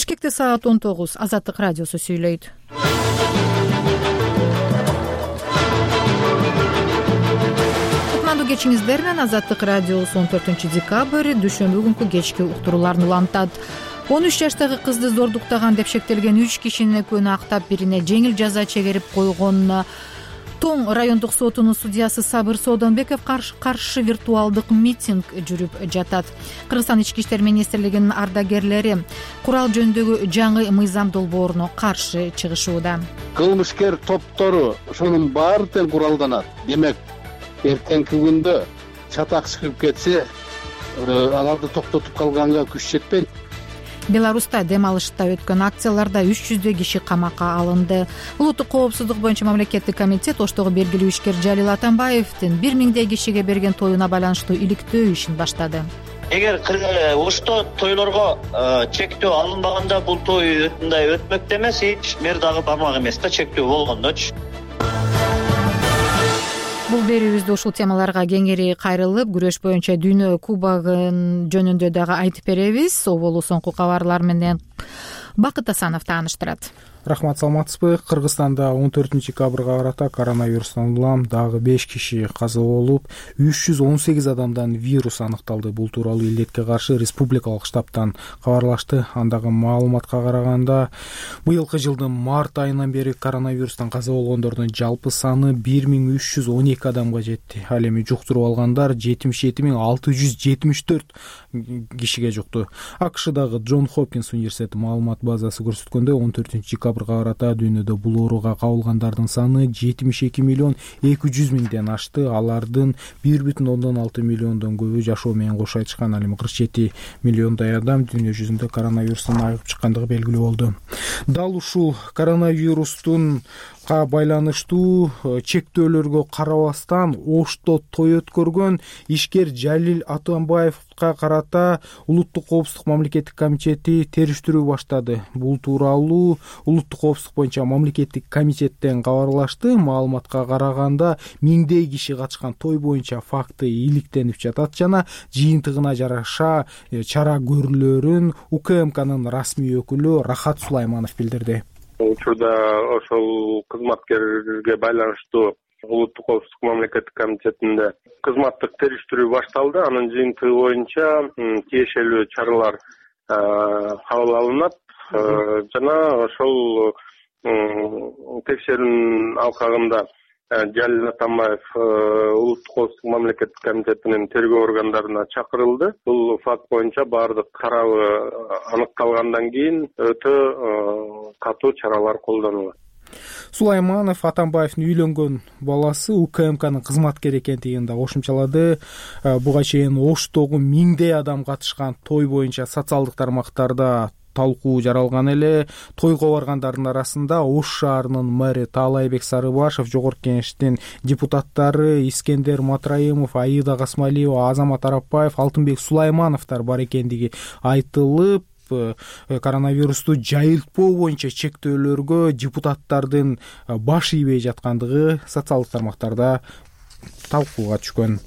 Бишкекте саат 19. Азаттык радиосу сүйлөйт. Кутмандуу кечиңиздер менен Азаттык радиосу 14 декабрь дүйшөмбү күнкү кечки уктурууларын улантат. 13 жаштагы кызды зордуктаган деп шектелген 3 кишинин экөөнү актап, бирине жеңил жаза чегерип койгон Тоң райондук сотунун судьясы Сабыр Соодонбеков каршы виртуалдык митинг жүрүп жатат. Кыргызстан ички иштер министрлигинин ардагерлери курал жөнүндөгү жаңы мыйзам долбооруна каршы чыгышууда. Кылмышкер топтору ошонун баары тең куралданат. Демек, эртеңки күндө чатак чыгып кетсе, аларды токтотуп калганга күч жетпейт. Беларуста дем алышта өткөн акцияларда 300 киши камакка алынды. Улуттук коопсуздук боюнча мамлекеттик комитет Оштогу белгилүү ишкер Жалил Атамбаевдин 1000 кишиге берген тоюна байланыштуу иликтөө ишин баштады. Эгер Ошто тойлорго чектөө алынбаганда бул той мындай өтмөктө эмес, эч мер дагы бармак эмес да, чектөө болгондочу. Бул берүүбүздө ушул темаларга кеңири кайрылып, күрөш боюнча дүйнө кубогун жөнүндө дагы айтып беребиз. Оболу соңку кабарлар менен Бакыт Асанов тааныштырат. Рахмат, саламатсызбы? Кыргызстанда 14 декабрга карата коронавирустан улам дагы 5 киши каза болуп, 318 адамдан вирус аныкталды. Бул тууралуу илдетке каршы республикалык штабтан кабарлашты. Андагы маалыматка караганда, быйылкы жылдын март айынан бери коронавирустан каза болгондордун жалпы саны 1312 адамга жетти. Ал эми жуктуруп алгандар 77674 кишиге жукту. АКШдагы Джон Хопкинс университети маалымат базасы көрсөткөндөй, 14 декабрга карата дүйнөдө бул ооруга кабылгандардын саны 72 миллион 200 миңден ашты. Алардын 1,6 миллиондон көбү жашоо менен кош айтышкан. Ал эми 47 миллиондай адам дүйнө жүзүндө коронавирустан айыгып чыккандыгы белгилүү болду. Дал ушул коронавирустун байланыштуу чектөөлөргө карабастан Ошто той өткөргөн ишкер Жалил Атамбаевга карата Улуттук коопсуздук мамлекеттик комитети териштирүү баштады. Бул тууралуу Улуттук коопсуздук боюнча мамлекеттик комитеттен кабарлашты. Маалыматка караганда, миңдей киши катышкан той боюнча факты иликтенип жатат жана жыйынтыгына жараша чара көрүлөрүн УКМКнын расмий өкүлү Рахат Сулайманов билдирди. Учурда ошол кызматкерге байланыштуу Улуттук коопсуздук мамлекеттик комитетинде кызматтык териштирүү башталды. Анын жыйынтыгы боюнча тиешелүү чаралар кабыл алынат жана ошол текшерүүнүн алкагында Жалил Атамбаев Улуттук коопсуздук мамлекеттик комитетинин тергөө органдарына чакырылды. Бул факт боюнча баардык тарабы аныкталгандан кийин өтө катуу чаралар колдонулат. Сулайманов Атамбаевдин үйлөнгөн баласы УКМКнын кызматкери экендигин да кошумчалады. Буга чейин Оштогу миңдей адам катышкан той боюнча социалдык тармактарда талкуу жаралган эле. Тойго баргандардын арасында Ош шаарынын мэри Таалайбек Сарыбашев, жогорку кеңештин депутаттары Искендер Матраимов, Аида Касмалиева, Азамат Арапбаев, Алтынбек Сулаймановдор бар экендиги айтылып, коронавирусту жайылтпоо боюнча чектөөлөргө депутаттардын баш ийбей жаткандыгы социалдык тармактарда талкууга түшкөн.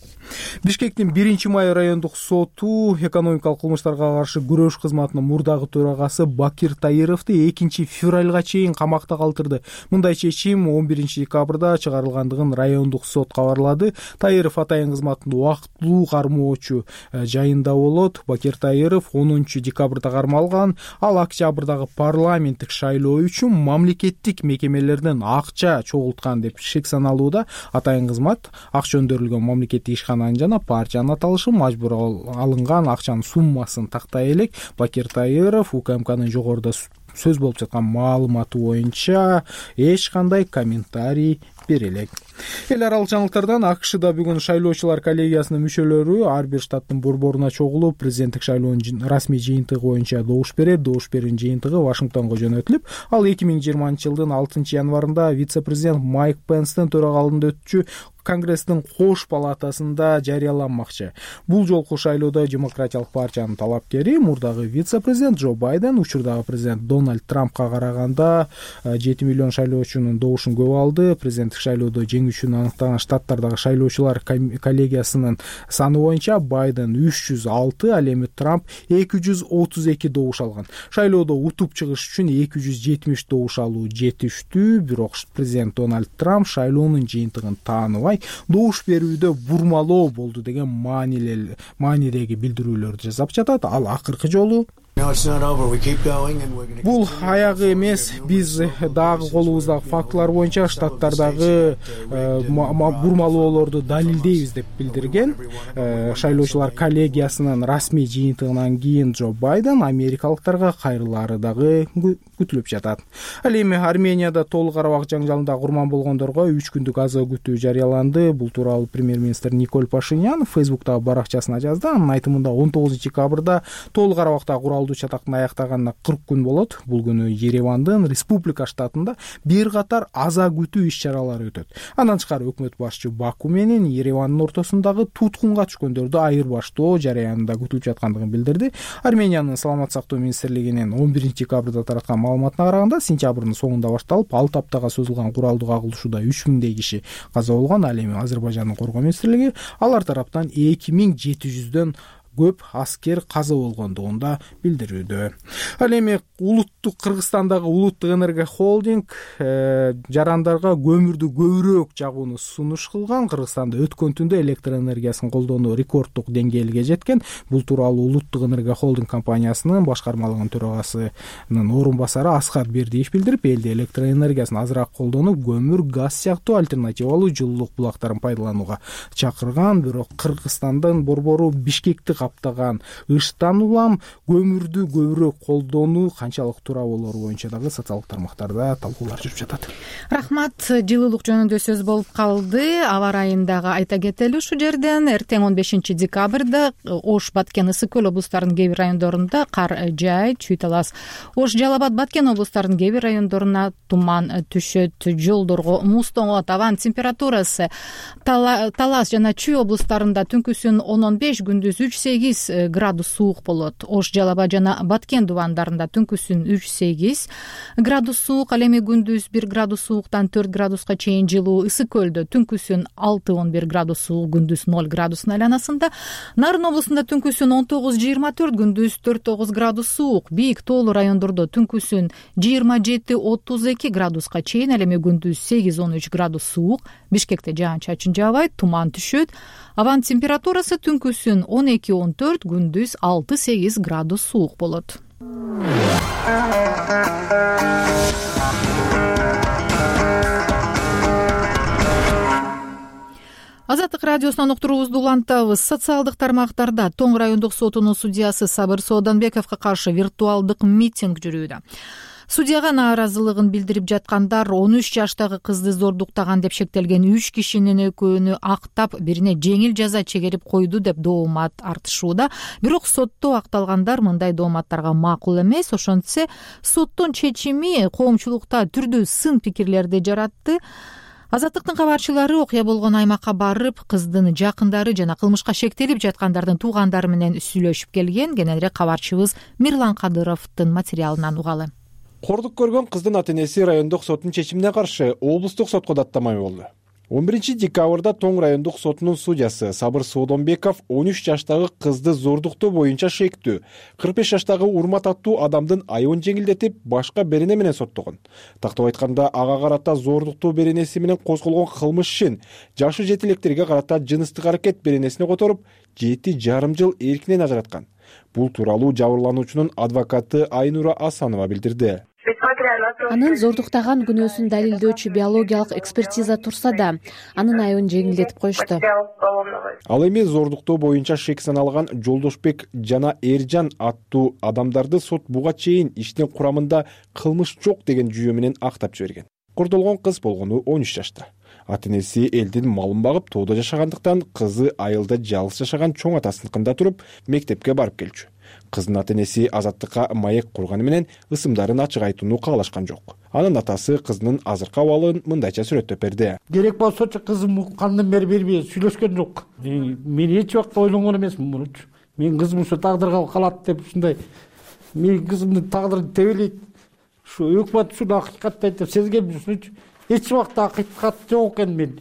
Бишкектин 1-май райондук соту экономикалык кылмыштарга каршы күрөш кызматынын мурдагы төрагасы Бакир Таировду 2 февралга чейин камакта калтырды. Мындай чечим 11 декабрда чыгарылгандыгын райондук сот кабарлады. Таиров атайын кызматында убактылуу кармоочу жайында болот. Бакир Таиров 10 декабрда кармалган. Ал октябрдагы парламенттик шайлоо үчүн мамлекеттик мекемелерден акча чогулткан деп шек саналууда. Атайын кызмат акча өндүрүлгөн мамлекеттик ишкана жана партиянын аталышы мажбур алынган акчанын суммасын тактай элек. Бакир Таиров УКМКнын жогоруда сөз болуп жаткан маалыматы боюнча эч кандай комментарий бере элек. Эл аралык жаңылыктардан АКШда бүгүн шайлоочулар коллегиясынын мүчөлөрү ар бир штаттын борборуна чогулуп, президенттик шайлоонун расмий жыйынтыгы боюнча добуш берет. Добуш берүүнүн жыйынтыгы Вашингтонго жөнөтүлүп, ал 2020 жылдын 6 январында вице-президент Майк Пенстин төрагалыгында өтчү Конгресстин кош палатасында жарыяланмакчы. Бул жолку шайлоодо Демократиялык партиянын талапкери мурдагы вице-президент Джо Байден учурдагы президент Дональд Трампка караганда 7 миллион шайлоочунун добушун көп алды. Президенттик президенттик шайлоодо жеңүүчүн аныктаган штаттардагы шайлоочулар коллегиясынын саны боюнча Байден 306, ал эми Трамп 232 добуш алган. Шайлоодо утуп чыгыш үчүн 270 добуш алуу жетиштүү, бирок президент Дональд Трамп шайлоонун жыйынтыгын тааныбай, добуш берүүдө бурмалоо болду деген маанидеги билдирүүлөрдү жасап жатат. Ал акыркы жолу бул аягы эмес, биз дагы колубуздагы фактылар боюнча штаттардагы бурмалоолорду далилдейбиз деп билдирген. Шайлоочулар коллегиясынын расмий жыйынтыгынан кийин Джо Байден америкалыктарга кайрылаары дагы күтүлүп жатат. Ал эми Арменияда Тоолук Карабак жаңжалында курман болгондорго 3 күндүк аза күтүү жарыяланды. Бул тууралуу премьер-министр Николь Пашинян Фейсбуктагы баракчасына жазды. Анын айтымында 19 декабрда Тоолук Карабакта куралдуу чатактын аяктаганына 40 күн болот. Бул күнү Еревандын Республика штатында бир катар аза күтүү иш-чаралары өтөт. Андан тышкары өкмөт башчы Баку менен Еревандын ортосундагы туткунга түшкөндөрдү айырбаштоо жараянында күтүлүп жаткандыгын билдирди. Армениянын саламаттык сактоо министрлигинин 11 декабрда тараткан маалыматына караганда, сентябрдын соңунда башталып, 6 аптага созулган куралдуу кагылышууда 3000 киши каза болгон. Ал эми Азербайжандын коргоо министрлиги алар тараптан 2700дөн көп аскер каза болгондугун да билдирүүдө. Ал эми Кыргызстандагы улуттук энергия холдинг жарандарга көмүрдү көбүрөөк жагууну сунуш кылган. Кыргызстанда өткөн түндө электр энергиясын колдонуу рекорддук деңгээлге жеткен. Бул тууралуу улуттук энергия холдинг компаниясынын башкармалыгынын төрагасынын орун басары Аскар Бердиев билдирип, элде электр энергиясын азыраак колдонуп, көмүр, газ сыяктуу альтернативалуу жылуулук булактарын пайдаланууга чакырган. Бирок Кыргызстандын борбору Бишкекти каптаган ыштан улам көмүрдү көбүрөөк колдонуу канчалык туура болору боюнча дагы социалдык тармактарда талкуулар жүрүп жатат. Рахмат. Жылуулук жөнүндө сөз болуп калды. Аба райын дагы айта кетели ушул жерден. Эртең 15 декабрда Ош, Баткен, Ысык көл облустарынын кээ бир райондорунда кар жаайт, чүй талас. Ош, Жалал Абад, Баткен облустарынын кээ бир райондоруна туман түшөт, жолдорго муз тоңот. Абанын температурасы Талас жана Чүй облустарында түнкүсүн 10-15, күндүз 3-8 градус суук болот. Ош, Жалал Абад жана Баткен дубандарында түнкүсүн 3-8 градус суук, ал эми күндүз 1 градус сууктан 4 градуска чейин жылуу. Ысык көлдө түнкүсүн 6-11 градус суук, күндүз 0 градустун айланасында. Нарын облусунда түнкүсүн 19-24, күндүз 4-9 градус суук. Бийик тоолуу райондордо түнкүсүн 27-32 градуска чейин, ал эми күндүз 8-13 градус суук. Бишкекте жаан-чачын жаабайт, туман түшөт. Абанын температурасы түнкүсүн 12-14, күндүз 6-8 градус суук болот. Азаттык радиосунан уктуруубузду улантабыз. Социалдык тармактарда Тоң райондук сотунун судьясы Сабыр Сооданбековго каршы виртуалдык митинг жүрүүдө. Судьяга нааразылыгын билдирип жаткандар 13 жаштагы кызды зордуктаган деп шектелген 3 кишинин экөөнү актап, бирине жеңил жаза чегерип койду деп доомат артышууда. Бирок сотто акталгандар мындай дооматтарга макул эмес. Ошентсе, соттун чечими коомчулукта түрдүү сын пикирлерди жаратты. Азаттыктын кабарчылары окуя болгон аймакка барып, кыздын жакындары жана кылмышка шектелип жаткандардын туугандары менен сүйлөшүп келген. Кененирээк кабарчыбыз Мирлан Кадыровдун материалынан угалы. Кордук көргөн кыздын ата-энеси райондук соттун чечимине каршы облустук сотко даттама болду. 11 декабрда Тоң райондук сотунун судьясы Сабыр Сооданбеков 13 жаштагы кызды зордуктоо боюнча шектүү, 45 жаштагы урмат аттуу адамдын айыбын жеңилдетип, башка берене менен соттогон. Тактап айтканда, ага карата зордуктоо беренеси менен козголгон кылмыш ишин жашы жетилектерге карата жыныстык аракет беренесине которуп, 7,5 жыл эркинен ажыраткан. Бул тууралуу жабырлануучунун адвокаты Айнура Асанова билдирди. Анын зордуктаган күнөөсүн далилдөөчү биологиялык экспертиза турса да, анын айыбын жеңилдетип коюшту. Ал эми зордуктоо боюнча шек саналган Жолдошбек жана Эржан аттуу адамдарды сот буга чейин иштин курамында кылмыш жок деген жүйө менен актап жиберген. Кордолгон кыз болгону 13 жашта. Ата-энеси элдин малын багып, тоодо жашагандыктан кызы айылда жалгыз жашаган чоң атасыныкында туруп, мектепке барып келчү. Кыздын ата-энеси азаттыкка маек курганы менен ысымдарын ачык айтууну каалашкан жок. Анын атасы кызынын азыркы абалын мындайча сүрөттөп берди. Керек болсочу кызым кандын бери бербей сүйлөшкөн жок. Мен эч убакта ойлонгон эмесмин мунучу. Мен кызым ушу тагдырга калат деп ушундай. Мен кызымдын тагдыры тебелейт. Ушу өкмөт ушуну акыйкаттайт деп сезгем ушунучу. эч убакта акыйкат жок экен. Мен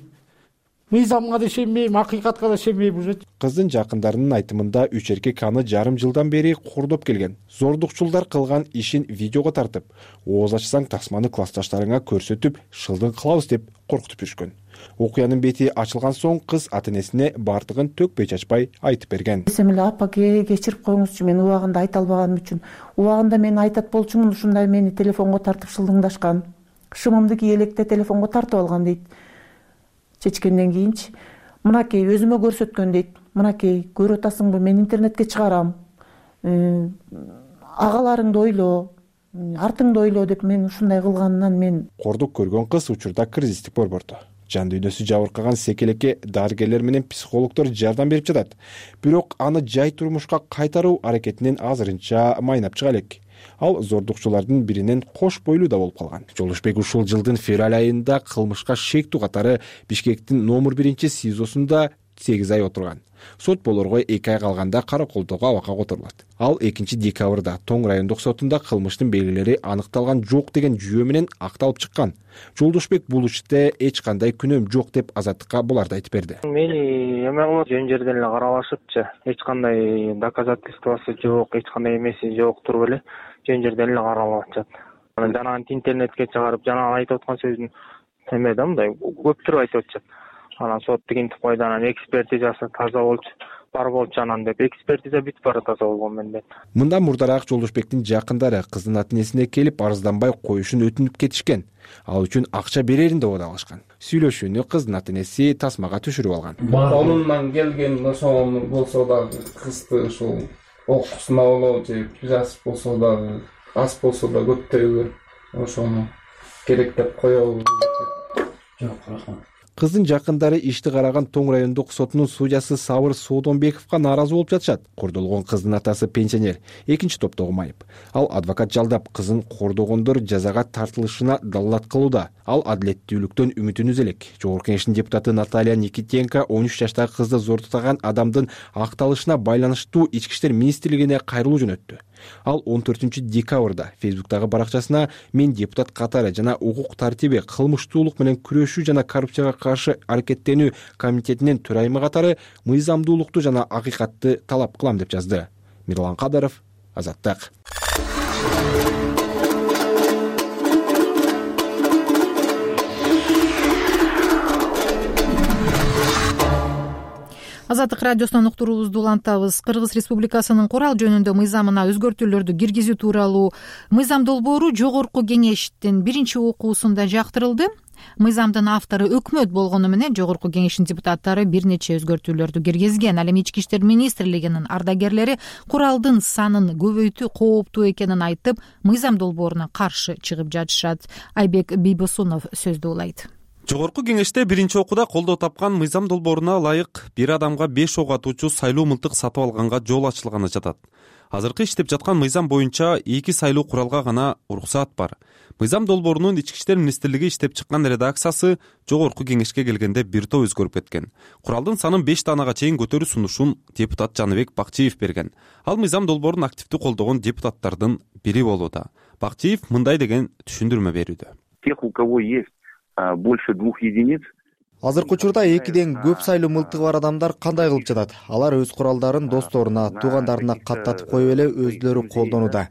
мыйзамга да ишенбейм, акыйкатка да ишенбейм уже. Кыздын жакындарынын айтымында 3 эркек аны жарым жылдан бери кордоп келген. Зордукчулдар кылган ишин видеого тартып, ооз ачсаң тасманы классташтарыңа көрсөтүп, шылдың кылабыз деп коркутуп жүргөн. Окуянын бети ачылган соң кыз ата-энесине бардыгын төкпөй чачпай айтып берген. Эсем эле апа кечирип коюңузчу, мен убагында айта албаганым үчүн. Убагында мен айтат болчумун, ушундай мени телефонго тартып шылдыңдашкан. Шымымды кийелекте телефонго тартып алган дейт. Чечкенден кийинчи мынакей өзүмө көрсөткөн дейт. Мынакей көрүп атасыңбы, мен интернетке чыгарам. Агаларыңды ойло, артыңды ойло деп мен ушундай кылганынан мен. Кордук көргөн кыз учурда кризистик борбордо. Жан дүйнөсү жабыркаган секелекке дарыгерлер менен психологдор жардам берип жатат. Бирок аны жай турмушка кайтаруу аракетинен азырынча майнап чыга элек. Ал зордукчулардын биринен кош бойлуу да болуп калган. Жолдошбек ушул жылдын февраль айында кылмышка шектүү катары Бишкектин номер 1 СИЗОсунда 8 ай отурган. Сот болорго 2 ай калганда караколдоого абакка которулат. Ал 2 декабрда Тоң райондук сотунда кылмыштын белгилери аныкталган жок деген жүйө менен акталып чыккан. Жолдошбек бул иште эч кандай күнөөм жок деп Азаттыкка буларды айтып берди. Мени эме кылып жөн жерден эле каралашыпчы. Эч кандай доказательствосы жок, эч кандай эмеси жок туруп эле жөн жерден эле каралып атышат. Анан жанагы интернетке чыгарып, жана айтып аткан сөздүн эме да мындай көптүрүп айтып атышат. Анан сот тигинтип койду, анан экспертизасы таза болчу, бар болчу анан деп. Экспертиза бүтүп бара таза болгон менде. Мындан мурдараак Жолдошбектин жакындары кыздын ата-энесине келип арызданбай коюшун өтүнүп кетишкен. Ал үчүн акча берерин деп убадалашкан. Сүйлөшүүнү кыздын ата-энеси тасмага түшүрүп алган. Колунан келген ошол болсо дагы кызды ушул окуусун алуу же жазып болсо дагы, аз болсо да көптөйгө ошону керек деп коебуз. Жок, рахмат. Кыздын жакындары ишти караган Тоң райондук сотунун судьясы Сабыр Соодонбековго нааразы болуп жатышат. Кордолгон кыздын атасы пенсионер, экинчи топтогу майып. Ал адвокат жалдап кызын кордогондор жазага тартылышына далилдат кылууда. Ал адилеттүүлүктөн үмүтүн үзө элек. Жогорку Кеңештин депутаты Наталья Никитенко 13 жаштагы кызды зордуктаган адамдын акталышына байланыштуу Ички иштер министрлигине кайрылуу жөнөттү. Ал 14 декабрда Фейсбуктагы баракчасына мен депутат катары жана укук тартиби, кылмыштуулук менен күрөшүү жана коррупцияга каршы аракеттенүү комитетинин төрайымы катары мыйзамдуулукту жана акыйкатты талап кылам деп жазды. Мирлан Кадыров, Азаттык. Азаттык радиосунан уктуруубузду улантабыз. Кыргыз Республикасынын курал жөнүндө мыйзамына өзгөртүүлөрдү киргизүү тууралуу мыйзам долбоору Жогорку Кеңештин 1-окуусунда жактырылды. Мыйзамдын автору өкмөт болгону менен Жогорку Кеңештин депутаттары бир нече өзгөртүүлөрдү киргизген. Ал эми Ички иштер министрлигинин ардагерлери куралдын санын көбөйтүү кооптуу экенин айтып, мыйзам долбооруна каршы чыгып жатышат. Айбек Бийбосунов сөздү улайт. Жогорку Кеңеште 1-окууда колдоо тапкан мыйзам долбооруна ылайык бир адамга 5 ок атуучу сайлуу мылтык сатып алганга жол ачылганы жатат. Азыркы иштеп жаткан мыйзам боюнча 2 сайлуу куралга гана уруксаат бар. Мыйзам долбоорунун Ички иштер министрлиги иштеп чыккан редакциясы Жогорку Кеңешке келгенде бир топ өзгөрүп кеткен. Куралдын санын 5 таанага чейин көтөрүү сунушун депутат Жаныбек Бакчиев берген. Ал мыйзам долбоорун активдүү колдогон депутаттардын бири болууда. Бакчиев мындай деген түшүндүрмө берүүдө. Тех, у кого есть больше 2 единиц. Азыркы учурда 2ден көп сайлуу мылтыгы бар адамдар кандай кылып жатат? Алар өз куралдарын досторуна, туугандарына каттатып коюп эле өздөрү колдонууда.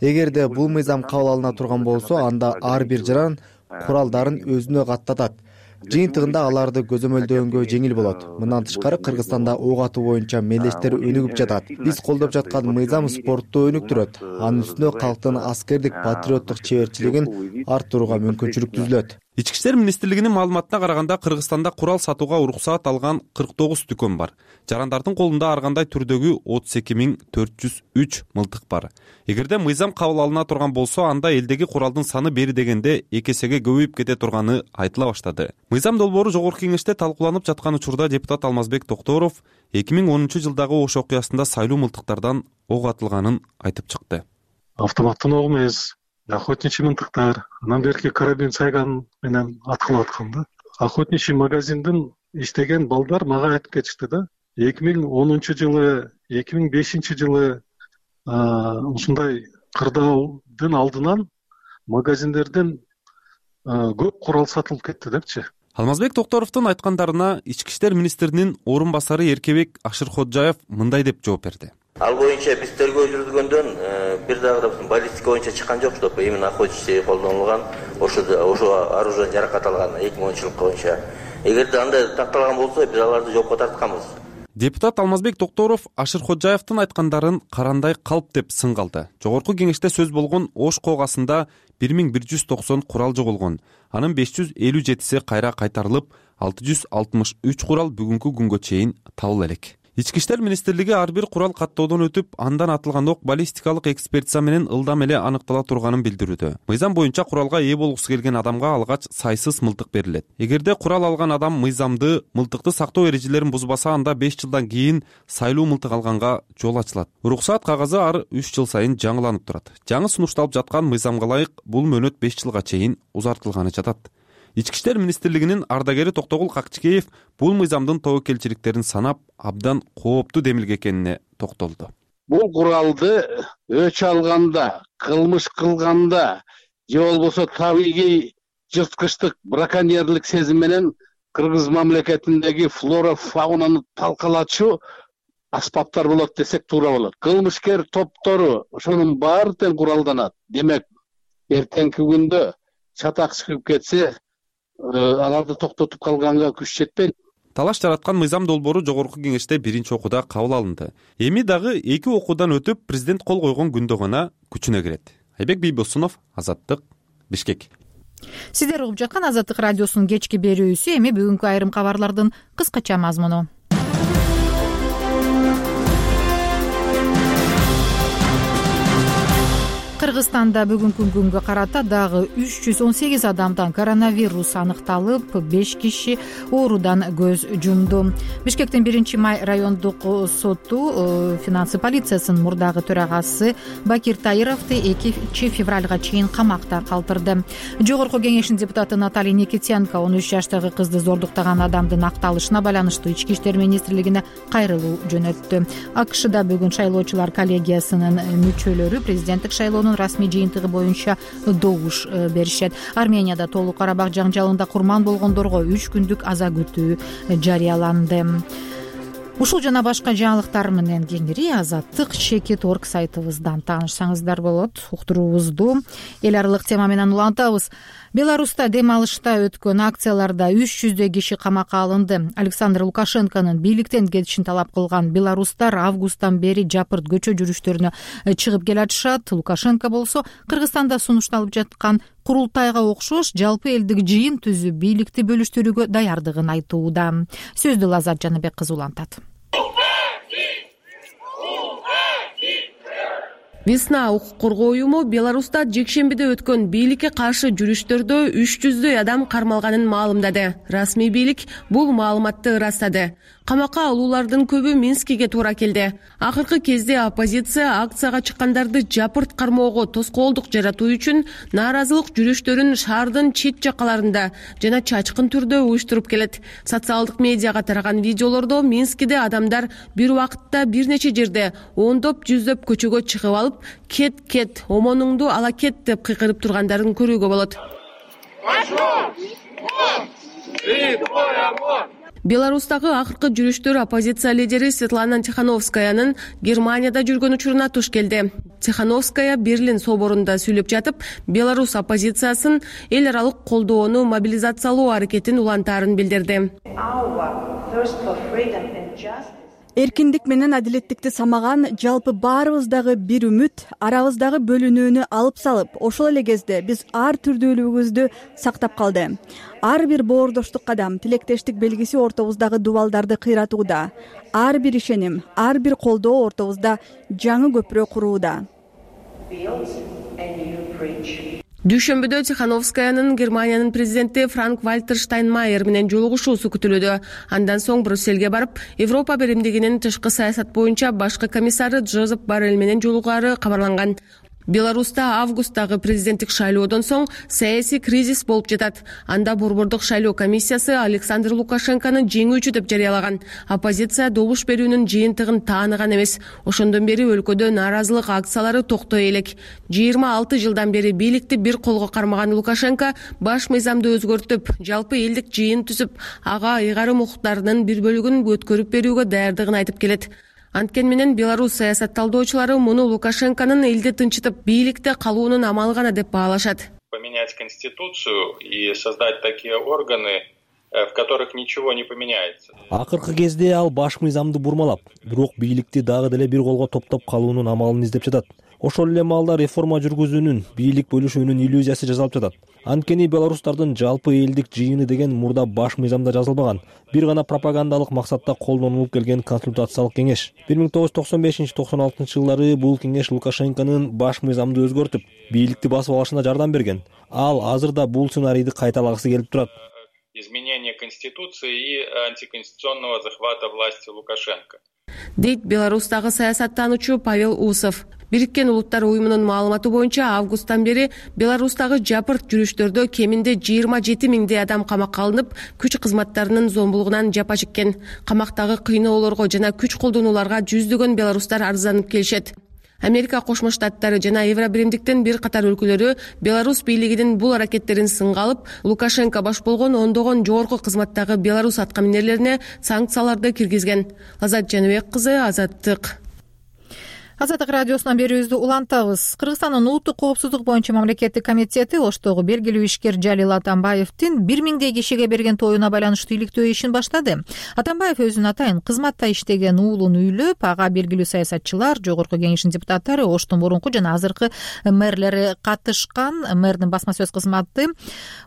Эгерде бул мыйзам кабыл алына турган болсо, анда ар бир жаран куралдарын өзүнө каттатат. Жыйынтыгында аларды көзөмөлдөгөнгө жеңил болот. Мындан тышкары Кыргызстанда ок атуу боюнча мелдештер өнүгүп жатат. Биз колдоп жаткан мыйзам спортту өнүктүрөт. Анын үстүнө калктын аскердик патриоттук чеберчилигин арттырууга мүмкүнчүлүк түзүлөт. Ички иштер министрлигинин маалыматына караганда Кыргызстанда курал сатууга уруксаат алган 49 дүкөн бар. Жарандардын колунда ар кандай түрдөгү 32403 мылтык бар. Эгерде мыйзам кабыл алына турган болсо, анда элдеги куралдын саны бери дегенде 2 эсеге көбөйүп кете турганы айтыла баштады. Мыйзам долбоору Жогорку Кеңеште талкууланып жаткан учурда депутат Алмазбек Токторов 2010-жылдагы Ош окуясында сайлуу мылтыктардан ок атылганын айтып чыкты. Автоматтын ок эмес, охотничий мылтыктар, анан берки карабин сайган менен аткылап аткан да. Охотничий магазиндин иштеген балдар мага айтып кетишти да. 2010-жылы, 2005-жылы ушундай кырдаалдын алдынан магазиндерден көп курал сатылып кетти депчи. Алмазбек Токторовдун айткандарына ички иштер министринин орун басары Эркебек Ашырходжаев мындай деп жооп берди. Ал боюнча биз тергөө жүргүзгөндөн бир дагы да баллистика боюнча чыккан жок, чтобы именно охотничий колдонулган ошо оружие жаракат алган 2010 жылкы боюнча. Эгерде андай такталган болсо, биз аларды жокко тартканбыз. Депутат Алмазбек Токторов Ашырходжаевдин айткандарын карандай калп деп сын калды. Жогорку кеңеште сөз болгон Ош коогасында 1190 курал жоголгон. Анын 557си кайра кайтарылып, 663 курал бүгүнкү күнгө чейин табыла элек. Ички иштер министрлиги ар бир курал каттоодон өтүп, андан атылган ок баллистикалык экспертиза менен ылдам эле аныктала турганын билдирүүдө. Мыйзам боюнча куралга ээ болгусу келген адамга алгач сайсыз мылтык берилет. Эгерде курал алган адам мыйзамды, мылтыкты сактоо эрежелерин бузбаса, анда 5 жылдан кийин сайлуу мылтык алганга жол ачылат. Уруксаат кагазы ар 3 жыл сайын жаңыланып турат. Жаңы сунушталып жаткан мыйзамга ылайык бул мөөнөт 5 жылга чейин узартылганы жатат. Ички иштер министрлигинин ардагери Токтогул Какчикеев бул мыйзамдын тобокелчиликтерин санап, абдан кооптуу демилге экенине токтолду. Бул куралды өч алганда, кылмыш кылганда же болбосо табигый жырткычтык, браконьерлик сезим менен Кыргыз мамлекетиндеги флора фаунаны талкалачу аспаптар болот десек туура болот. Кылмышкер топтору ошонун баары тең куралданат. Демек, эртеңки күндө чатак чыгып кетсе, аларды токтотуп калганга күч жетпейт. Талаш жараткан мыйзам долбоору жогорку кеңеште биринчи окууда кабыл алынды. Эми дагы 2 окуудан өтүп, президент кол койгон күндө гана күчүнө кирет. Айбек Бийбосунов, Азаттык, Бишкек. Сиздер угуп жаткан Азаттык радиосунун кечки берүүсү. Эми бүгүнкү айрым кабарлардын кыскача мазмуну. Кыргызстанда бүгүнкү күнгө карата дагы 318 адамдан коронавирус аныкталып, 5 киши оорудан көз жумду. Бишкектин 1-май райондук соту финансы полициясынын мурдагы төрагасы Бакир Таировду 2 февралга чейин камакта калтырды. Жогорку кеңештин депутаты Наталья Никитенко 13 жаштагы кызды зордуктаган адамдын акталышына байланыштуу ички иштер министрлигине кайрылуу жөнөттү. АКШда бүгүн шайлоочулар коллегиясынын мүчөлөрү президенттик шайлоонун расмий жыйынтыгы боюнча добуш беришет. Арменияда Толук Карабак жаңжалында курман болгондорго 3 күндүк аза күтүү жарыяланды. Ушул жана башка жаңылыктар менен кеңири Азаттык Чекит.org сайтыбыздан таанышсаңыздар болот. Уктуруубузду эл аралык тема менен улантабыз. Беларуста дем алышта өткөн акцияларда 300 киши камакка алынды. Александр Лукашенконун бийликтен кетишин талап кылган беларустар августтан бери жапырт көчө жүрүштөрүнө чыгып келатышат. Лукашенко болсо Кыргызстанда сунушталып жаткан курултайга окшош жалпы элдик жыйын түзүп бийликти бөлүштүрүүгө даярдыгын айтууда. Сөздү Лазат Жаныбек кызы улантат. Весна укук коргоо уюму Беларуста жекшембиде өткөн бийликке каршы жүрүштөрдө 300 адам кармалганын маалымдады. Расмий бийлик бул маалыматты ырастады. Камакка алуулардын көбү Минскиге туура келди. Акыркы кезде оппозиция акцияга чыккандарды жапырт кармоого тоскоолдук жаратуу үчүн нааразылык жүрүштөрүн шаардын чет жакаларында жана чачкын түрдө уюштуруп келет. Социалдык медиага тараган видеолордо Минскиде адамдар бир убакытта бир нече жерде ондоп жүздөп көчөгө чыгып алып, кет, омонуңду ала кет деп кыйкырып тургандарын көрүүгө болот. Беларустагы акыркы жүрүштөр оппозиция лидери Светлана Тихановскаянын Германияда жүргөн учуруна туш келди. Тихановская Берлин соборунда сүйлөп жатып, Беларусь оппозициясын эл аралык колдоону мобилизациялоо аракетин улантаарын билдирди. Эркиндик менен адилеттикти самаган жалпы баарыбыздагы бир үмүт арабыздагы бөлүнүүнү алып салып, ошол эле кезде биз ар түрдүүлүгүбүздү сактап калды. Ар бир боордоштук кадам, тилектештик белгиси ортобуздагы дубалдарды кыйратууда. Ар бир ишеним, ар бир колдоо ортобузда жаңы көпүрө курууда. Дүйшөмбүдө Тихановскаянын Германиянын президенти Франк-Вальтер Штайнмайер менен жолугушуусу күтүлүүдө. Андан соң Брюссельге барып, Европа биримдигинин тышкы саясат боюнча башкы комиссары Джозеп Боррелл менен жолугары кабарланган. Беларуста августтагы президенттик шайлоодон соң саясий кризис болуп жатат. Анда борбордук шайлоо комиссиясы Александр Лукашенкону жеңүүчү деп жарыялаган. Оппозиция добуш берүүнүн жыйынтыгын тааныган эмес. Ошондон бери өлкөдө нааразылык акциялары токтой элек. 26 жылдан бери бийликти бир колго кармаган Лукашенко баш мыйзамды өзгөртүп, жалпы элдик жыйын түзүп, ага ыйгарым укуктарынын бир бөлүгүн өткөрүп берүүгө даярдыгын айтып келет. Анткени менен Беларусь саясат талдоочулары муну Лукашенконун элди тынчытып, бийликте калуунун амалы гана деп баалашат. Поменять конституцию и создать такие органы, в которых ничего не поменяется. Акыркы кезде ал баш мыйзамды бурмалап, бирок бийликти дагы деле бир колго топтоп калуунун амалын издеп жатат. Ошол эле маалда реформа жүргүзүүнүн, бийлик бөлүшүүнүн иллюзиясы жасалып жатат. Анткени белорустардын жалпы элдик жыйыны деген мурда баш мыйзамда жазылбаган, бир гана пропагандалык максатта колдонулуп келген консультациялык кеңеш. 1995-96 жылдары бул кеңеш Лукашенконун баш мыйзамды өзгөртүп, бийликти басып алышына жардам берген. Ал азыр да бул сценарийди кайталагысы келип турат. Изменение конституции и антиконституционного захвата власти Лукашенко. Дейт Беларустагы саясаттануучу Павел Усов. Бириккен Улуттар уюмунун маалыматы боюнча августтан бери Беларустагы жапырт жүрүштөрдө кеминде 27 миңдей адам камакка алынып, күч кызматтарынын зомбулугунан жапа чеккен. Камактагы кыйноолорго жана күч колдонууларга жүздөгөн беларустар арызданып келишет. Америка Кошмо Штаттары жана Евробиримдиктин бир катар өлкөлөрү Беларусь бийлигинин бул аракеттерин сынга алып, Лукашенко баш болгон ондогон жогорку кызматтагы беларус аткаминерлерине санкцияларды киргизген. Азат Жаныбек кызы, Азаттык. Азаттык радиосунан берүүбүздү улантабыз. Кыргызстандын улуттук коопсуздук боюнча мамлекеттик комитети Оштогу белгилүү ишкер Жалил Атамбаевдин 1000 кишиге берген тоюна байланыштуу иликтөө ишин баштады. Атамбаев өзүнүн атайын кызматта иштеген уулун үйлөп, ага белгилүү саясатчылар, жогорку кеңештин депутаттары, Оштун мурунку жана азыркы мэрлери катышкан. Мэрдин басма сөз кызматы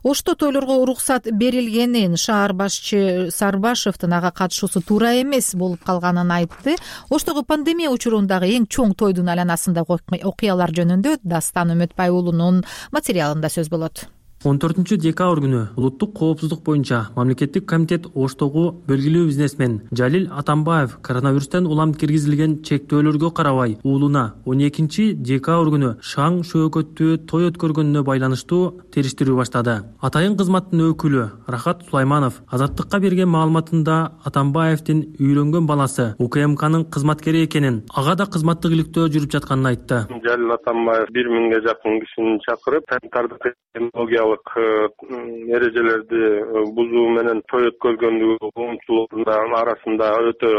Ошто тойлорго уруксат берилгенин, шаар башчы Сарбашевдин ага катышуусу туура эмес болуп калганын айтты. Оштогу пандемия учурундагы эң чоң тойдун айланасындагы окуялар жөнүндө Дастан Үмүтбай уулунун материалында сөз болот. 14 декабрь күнү улуттук коопсуздук боюнча мамлекеттик комитет Оштогу белгилүү бизнесмен Жалил Атамбаев коронавирустан улам киргизилген чектөөлөргө карабай уулуна 12 декабрь күнү шаң шөөгөттүү той өткөргөнүнө байланыштуу териштирүү баштады. Атайын кызматтын өкүлү Рахат Сулайманов Азаттыкка берген маалыматында Атамбаевдин үйлөнгөн баласы УКМКнын кызматкери экенин, ага да кызматтык иликтөө жүрүп жатканын айтты. Жалил Атамбаев 1000 жакын кишини чакырып, санитардык экологиялык эрежелерди бузуу менен той өткөргөндүгү коомчулуктун арасында өтө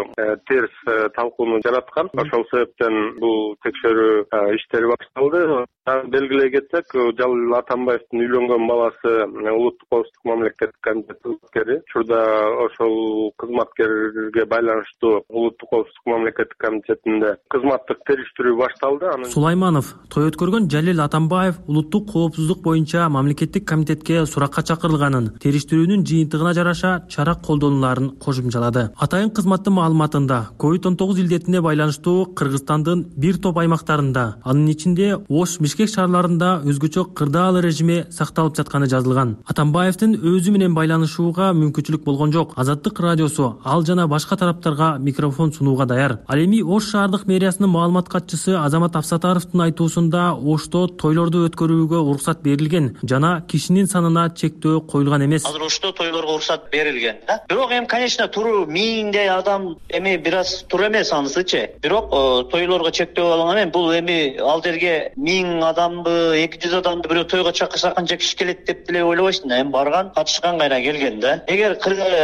терс талкууну жараткан. Ошол себептен бул текшерүү иштери башталды. Белгилей кетсек, Жалил Атамбаевдин үйлөнгөн баласы улуттук коопсуздук мамлекеттик комитет кызматкери. Учурда ошол кызматкерге байланыштуу улуттук коопсуздук мамлекеттик комитетинде кызматтык териштирүү башталды. Сулайманов той өткөргөн Жалил Атамбаев улуттук коопсуздук боюнча мамлекеттик комитетке суракка чакырылганын, териштирүүнүн жыйынтыгына жараша чара колдонуларын кошумчалады. Атайын кызматтын маалыматында COVID-19 илдетине байланыштуу Кыргызстандын бир топ аймактарында, анын ичинде Ош, Бишкек шаарларында өзгөчө кырдаал режими сакталып жатканы жазылган. Атамбаевдин өзү менен байланышууга мүмкүнчүлүк болгон жок. Азаттык радиосу ал жана башка тараптарга микрофон сунууга даяр. Ал эми Ош шаардык мэриясынын маалымат катчысы Азамат Афсатаровдун айтуусунда Ошто тойлорду өткөрүүгө уруксат берилген жана кишинин санына чектөө коюлган эмес. Азыр Ошто тойлорго уруксат берилген да. Бирок конечно туруу 1000 адам бир аз туура эмес анысычы. Бирок тойлорго чектөө алынган. Бул ал жерге 1000 адамбы, 200 адамды бирөө тойго чакырса канча киши келет деп деле ойлобойсуң. Барган, катышкан кайра келген да. Эгер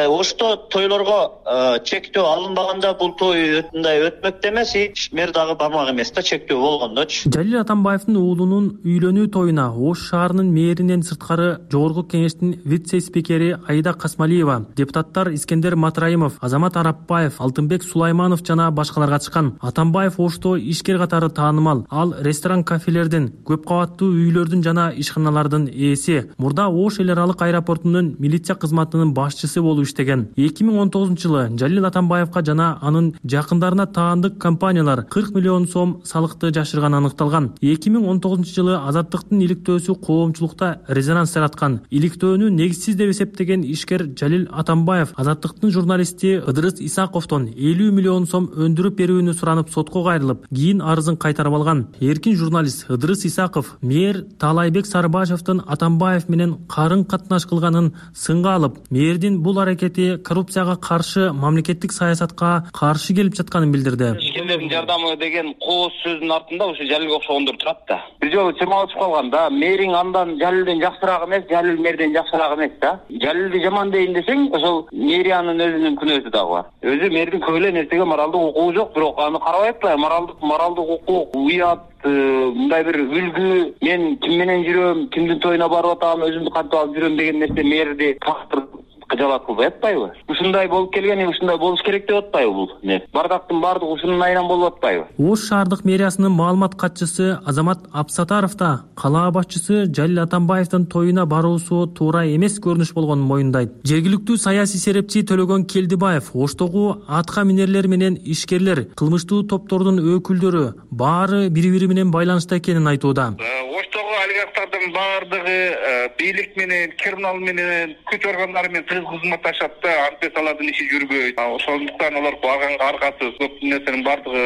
Ошто тойлорго чектөө алынбаганда бул той өтмөктө эмес, мэр дагы бармак эмес да, чектөө болгондочу. Жалил Атамбаевдин уулунун үйлөнүү тоюна Ош шаарынын мэринен сырткары жогорку кеңештин вице-спикери Аида Касмалиева, депутаттар Искендер Матраимов, Азамат Арапбаев, Алтынбек Сулайманов жана башкалар катышкан. Атамбаев Ошто ишкер катары таанымал. Ал ресторан, кафелердин, көп кабаттуу үйлөрдүн жана ишканалардын ээси. Мурда Ош эл аралык аэропортунун милиция кызматынын башчысы болуп иштеген. 2019 жылы Жалил Атамбаевка жана анын жакындарына таандык компаниялар 40 миллион сом салыкты жашырганы аныкталган. 2019 жылы Азаттыктын иликтөөсү коомчулукта резонанс жараткан. Иликтөөнү негизсиз деп эсептеген ишкер Жалил Атамбаев Азаттыктын журналисти Ыдырыс Исаковдон 50 миллион сом өндүрүп берүүнү суранып сотко кайрылып, кийин арызын кайтарып алган. Эркин журналист Ыдырыс Исаков мэр Таалайбек Сарыбашевдин Атамбаев менен карын катнаш кылганын сынга алып, мэрдин бул аракети коррупцияга каршы мамлекеттик саясатка каршы келип жатканын билдирди. Ишкерлердин жардамы деген кооз сөздүн артында ушу Жалилге окшогондор турат да. Бир жолу чырмалышып калган да. Мэриң андан Жалилден жакшыраак эмес, Жалил мэрден жакшыраак эмес да. Жалилди жаман дейин десең, ошол мэриянын өзүнүн күнөөсү дагы бар. Өзү мэрдин көп эле нерсеге моралдык укугу жок, бирок аны карабай атпайбы? Моралдык укук, уят, мындай бир үлгү, мен ким менен жүрөм, кимдин тоюна барып атам, өзүмдү кантип алып жүрөм деген нерсе мэрди кыжалат кылбай атпайбы? Ушундай болуп келген, ушундай болуш керек деп атпайбы бул? Бардактын баардыгы ушунун айынан болуп атпайбы? Ош шаардык мэриясынын маалымат катчысы Азамат Абсатаров да калаа башчысы Жалил Атамбаевдин тоюна баруусу туура эмес көрүнүш болгонун моюндайт. Жергиликтүү саясий серепчи Төлөгөн Келдибаев Оштогу атка минерлер менен ишкерлер, кылмыштуу топтордун өкүлдөрү баары бири-бири менен байланышта экенин айтууда. Оштогу олигархтардын баардыгы бийлик менен, криминал менен, күч органдары менен тыгыз кызматташат да, антес алардын иши жүрбөйт. Ошондуктан алар баганга аргасыз көп нерсенин баардыгы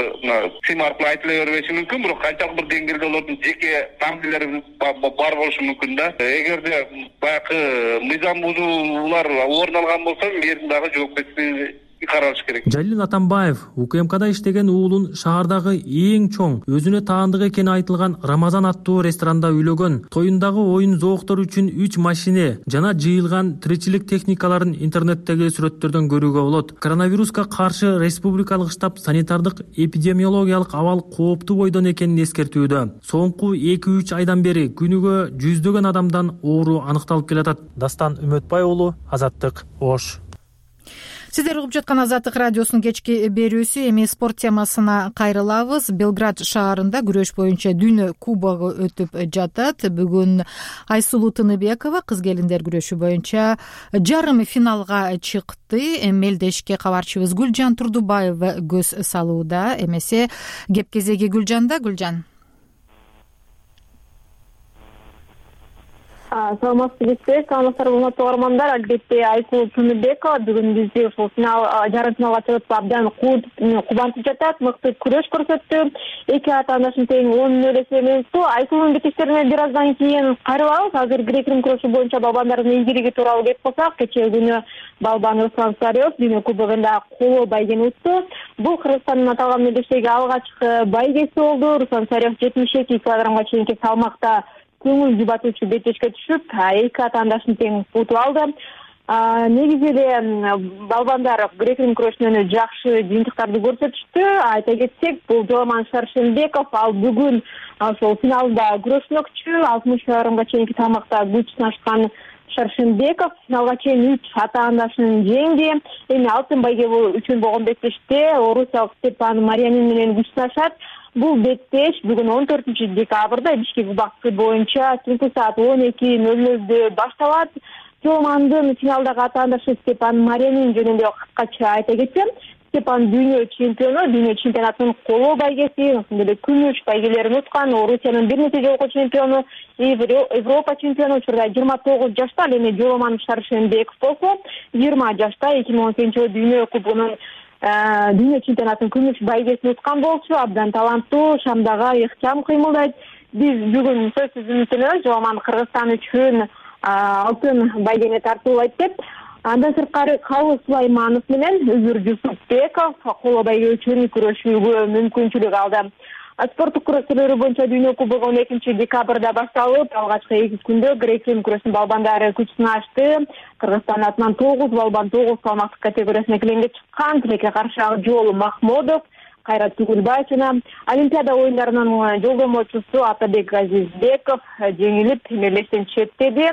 сим аркылуу айтыла бербеши мүмкүн, бирок канчалык бир деңгээлде алардын жеке фамилиялары бар болушу мүмкүн да. Эгерде баягы мыйзам бузуулар орун алган болсо, мэрдин дагы жоопкерчилиги каралыш керек. Жалил Атамбаев УКМКда иштеген уулун шаардагы эң чоң, өзүнө таандык экени айтылган Рамазан аттуу ресторанда үйлөгөн. Тоюндагы оюн зооктору үчүн 3 машине жана жыйылган тиричилик техникаларын интернеттеги сүрөттөрдөн көрүүгө болот. Коронавируска каршы республикалык штаб санитардык эпидемиологиялык абал кооптуу бойдон экенин эскертүүдө. Соңку 2-3 айдан бери күнүгө жүздөгөн адамдан оору аныкталып келатат. Дастан Үмөтбай уулу, Азаттык, Ош. Сиздер угуп жаткан Азаттык радиосунун кечки берүүсү. Эми спорт темасына кайрылабыз. Белград шаарында күрөш боюнча дүйнө кубогу өтүп жатат. Бүгүн Айсулуу Тыныбекова кыз келиндер күрөшү боюнча жарым финалга чыкты. Мелдешке кабарчыбыз Гүлжан Турдубаева көз салууда. Эмесе кеп кезеги Гүлжанда. Гүлжан. Саламатсыздарбы, урматтуу угармандар. Албетте Айсулуу Тыныбекова бүгүн бизди ушул жарым финалга чыгып абдан кубантып жатат. Мыкты күрөш көрсөттү. Эки атаандашын тең 10-0 эсебиңиз. Айсулуунун бетиштерине бир аздан кийин кайрылабыз. Азыр грек-рим күрөшү боюнча балбандардын ийгилиги тууралуу кеп калсак, кечээ күнү балбан Руслан Царев дүйнө кубогунда коло байгени утту. Бул Кыргызстандын аталган мелдештеги алгачкы байгеси болду. Руслан Царев 72 килограммга чейинки салмакта көңүл жубатуучу бетешке түшүп, эки атаандашын тең утуп алды. Негизи эле балбандар грек-рим күрөшүнөн жакшы жыйынтыктарды көрсөтүштү. Айта кетсек, бул Жооман Шаршенбеков ал бүгүн ошол финалда күрөшмөкчү. 60 килограммга чейинки салмакта күч сынашкан Шаршенбеков финалга чейин 3 атаандашын жеңди. Эми алтын байге үчүн болгон беттеште орусиялык Степан Марьянин менен күч сынашат. Бул беттеш бүгүн 14 декабрда Бишкек убакыты боюнча түнкү саат 12:00 башталат. Жоомандын финалдагы атаандашы Степан Марьянин жөнүндө кыскача айта кетсем, Степан дүйнө чемпионатынын коло байгеси, ошондой эле күмүш байгелерин уткан, Орусиянын бир нече жолку чемпиону, Европа чемпиону, учурда 29 жашта. Ал эми Жооман Шаршенбеков болсо 20 жашта 2018 дүйнө кубогунун дүйнө чемпионатынын күмүш байгесин уткан болчу. Абдан таланттуу, шамдага ыктыям кыймылдайт. Биз бүгүн сөзсүз үмүттөнөбүз Жооман Кыргызстан үчүн алтын байгени тартуулайт деп. Андан сырткары Калыс Сулайманов менен Үзүр Жусупбеков коло байге үчүн күрөшүүгө мүмкүнчүлүк алды. Спорттук күрөштөр боюнча дүйнө кубогу 2 декабрда башталып, алгачкы 2 күндө грек-рим күрөшүнүн балбандары күч сынашты. Кыргызстан атынан 9 балбан 9 салмактык категориясына килемге чыккан. Тилекке каршы Акжол Махмодов, Кайрат Түгүлбаев жана Олимпиада оюндарынын жолдомочусу Атабек Азизбеков жеңилип мелдештен четтеди.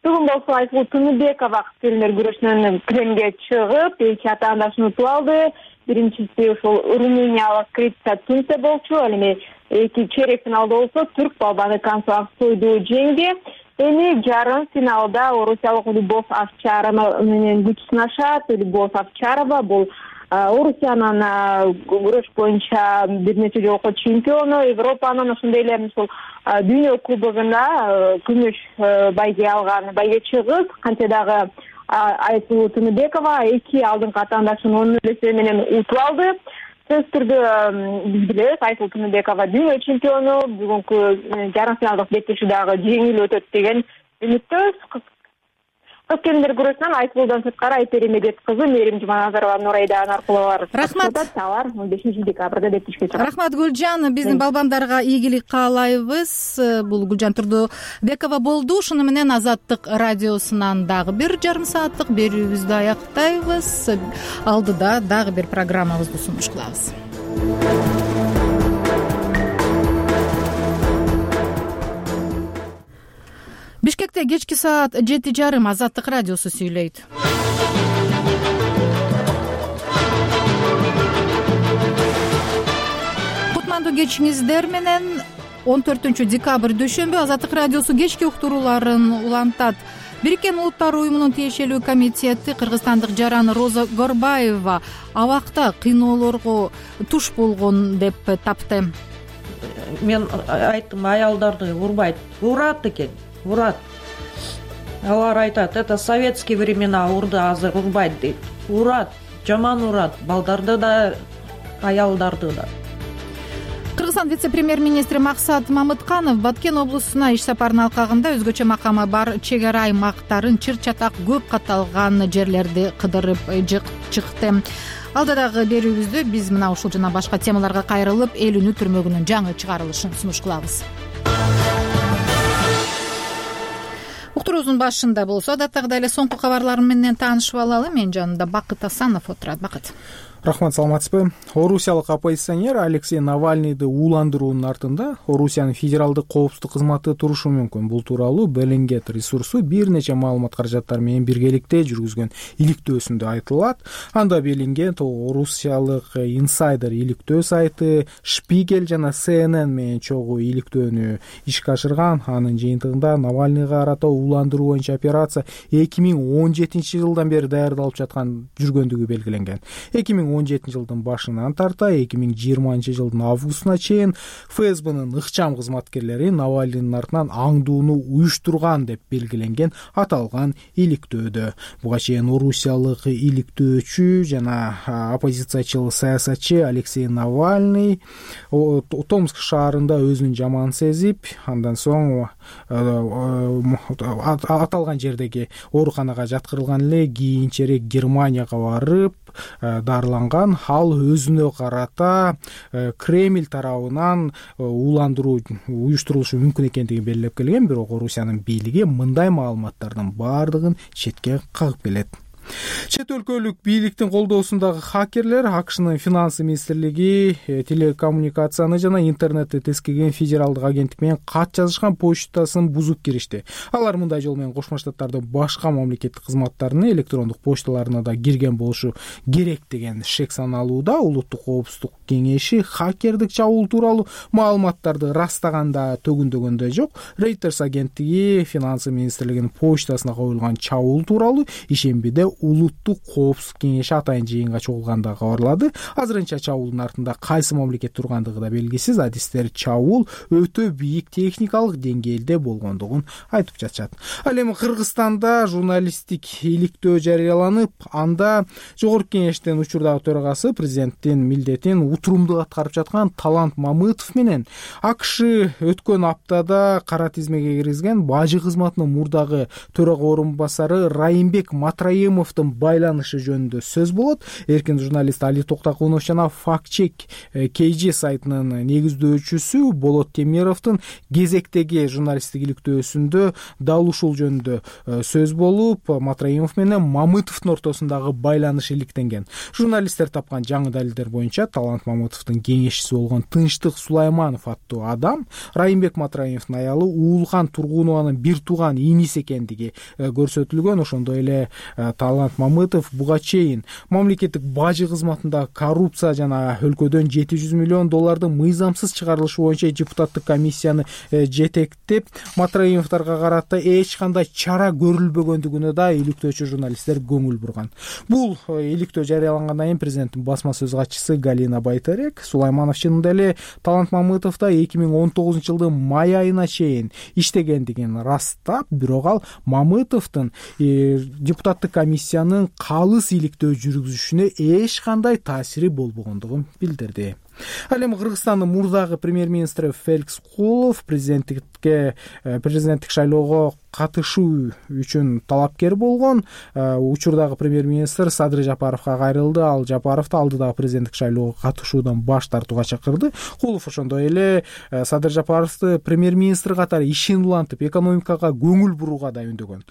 Бүгүн болсо Айсулуу Тыныбекова кыз келиндер күрөшүнөн килемге чыгып, эки атаандашын утуп алды. Биринчиси ошол румыниялык Крица Тунсе болчу. Ал эми эки чейрек финалда болсо түрк балбаны Кансу Аксойду жеңди. Эми жарым финалда орусиялык Любовь Овчарова менен күч сынашат. Любовь Овчарова бул Орусиянын күрөш боюнча бир нече жолку чемпиону, Европанын ошондой эле ушул дүйнө кубогунда күмүш байге алган байгечи кыз, кантсе дагы Айсулуу Тыныбекова 2 алдыңкы атаандашын 10 үлесү менен утуп алды. Сөзсүз түрдө биз билебиз, Айсулуу Тыныбекова дүйнө чемпиону, бүгүнкү жарым финалдык беттешүү дагы жеңил өтөт деген үмүттөбүз. Кыз келиндер күрөшүнөн Айсулуудан сырткары Айпери Медет кызы Мээрим Жуманазарова, Нурайда Анаркулова Рахмат. Алар 15 декабрда беттешүүгө чыгат. Рахмат Гүлжан, биздин балбандарга ийгилик каалайбыз. Бул Гүлжан Турдубекова болду. Ушуну менен Азаттык радиосунан дагы бир жарым сааттык берүүбүздү аяктайбыз. Алдыда дагы бир программабызды сунуш кылабыз. Бишкекте кечки саат 7:30 Азаттык радиосу сүйлөйт. Кутмандуу кечиңиздер менен 14 декабрь дүйшөмбү Азаттык радиосу кечки уктурууларын улантат. Бириккен Улуттар уюмунун тиешелүү комитети кыргызстандык жаран Роза Горбаева абакта кыйноолорго туш болгон деп тапты. Мен айттым, аялдарды урбайт, урат экен. Урат. Алар айтат, это советские времена, урду азыр урбайт дейт. Урат, жаман урат, балдарды да, аялдарды да. Кыргызстан вице-премьер-министри Максат Мамытканов Баткен облусуна иш сапарынын алкагында өзгөчө макамы бар чек ара аймактарын чыр-чатак көп катталган жерлерди кыдырып чыкты. Алдыдагы берүүбүздө биз мына ушул жана башка темаларга кайрылып, эл үнү түрмөгүнүн жаңы чыгарылышын сунуш кылабыз. Уктуруубуздун башында болсо, адаттагыдай эле соңку кабарлар менен таанышып алалы. Менин жанымда Бакыт Асанов отурат. Бакыт. Рахмат, саламатсызбы? Орусиялык оппозиционер Алексей Навальныйды ууландыруунун артында Орусиянын федералдык коопсуздук кызматы турушу мүмкүн. Бул тууралуу Беллингет ресурсу бир нече маалымат каражаттар менен биргеликте жүргүзгөн иликтөөсүндө айтылат. Анда Беллингет Орусиялык инсайдер иликтөө сайты, Шпигель жана CNN менен чогуу иликтөөнү ишке ашырган. Анын жыйынтыгында Навальныйга карата ууландыруу боюнча операция 2017-жылдан бери даярдалып жүргөндүгү белгиленген. 2017-жылдын башынан тарта 2020-жылдын августуна чейин ФСБнын ыкчам кызматкерлери Навальныйдын артынан аңдууну уюштурган деп белгиленген аталган иликтөөдө. Буга чейин орусиялык иликтөөчү жана оппозициячыл саясатчы Алексей Навальный Томск шаарында өзүн жаман сезип, андан соң аталган жердеги ооруканага жаткырылган эле, кийинчерээк Германияга барып дарыланган. Ал өзүнө карата Кремль тарабынан ууландыруу уюштурулушу мүмкүн экендигин белгилеп келген, бирок Орусиянын бийлиги мындай маалыматтардын баардыгын четке кагып келет. Чет өлкөлүк бийликтин колдоосундагы хакерлер АКШнын финансы министрлиги телекоммуникацияны жана интернетти тескеген федералдык агенттик менен кат жазышкан почтасын бузуп киришти. Алар мындай жол менен Кошмо Штаттардын башка мамлекеттик кызматтарынын электрондук почталарына да кирген болушу керек деген шек саналууда. Улуттук коопсуздук кеңеши хакердик чабуул тууралуу маалыматтарды растаганда төгүндөгөндө жок. Reuters агенттиги финансы министрлигинин почтасына коюлган чабуул тууралуу ишембиде Улуттук коопсуздук кеңеши атайын жыйынга чогулганда кабарлады. Азырынча чабуулдун артында кайсы мамлекет тургандыгы да белгисиз. Адистер чабуул өтө бийик техникалык деңгээлде болгондугун айтып жатышат. Ал эми Кыргызстанда журналисттик иликтөө жарыяланып, анда жогорку кеңештин учурдагы төрагасы президенттин милдетин утурумдуу аткарып жаткан Талант Мамытов менен АКШ өткөн аптада кара тизмеге киргизген бажы кызматынын мурдагы төрага орун басары Райымбек Матраимовдун байланышы жөнүндө сөз болот. Эркин журналист Али Токтакунов жана Фактчек KG сайтынын негиздөөчүсү Болот Темировдун кезектеги журналисттик иликтөөсүндө дал ушул жөнүндө сөз болуп, Матраимов менен Мамытовдун ортосундагы байланыш иликтенген. Журналисттер тапкан жаңы далилдер боюнча Талант Мамытовдун кеңешчиси болгон Тынчтык Сулайманов аттуу адам Райымбек Матраимовдун аялы Уулган Тургунованын бир тууган иниси экендиги көрсөтүлгөн. Ошондой эле Талант Мамытов буга чейин мамлекеттик бажы кызматында коррупция жана өлкөдөн 700 миллион доллардын мыйзамсыз чыгарылышы боюнча депутаттык комиссияны жетектеп, Матраимовдорго карата эч кандай чара көрүлбөгөндүгүнө да иликтөөчү журналисттер көңүл бурган. Бул иликтөө жарыялангандан кийин президенттин басма сөз катчысы Галина Байтарек Сулайманов чынында эле Талант Мамытовда 2019-жылдын май айына чейин иштегендигин растап, бирок ал Мамытовдун депутаттык комиссиянын калыс иликтөө жүргүзүшүнө эч кандай таасири болбогондугун билдирди. Ал эми Кыргызстандын мурдагы премьер-министри Феликс Кулов президенттик шайлоого катышуу үчүн талапкер болгон. Учурдагы премьер-министр Садыр Жапаровго кайрылды. Ал Жапаровду алдыдагы президенттик шайлоого катышуудан баш тартууга чакырды. Кулов ошондой эле Садыр Жапаровду премьер-министр катары ишин улантып, экономикага көңүл бурууга да үндөгөн.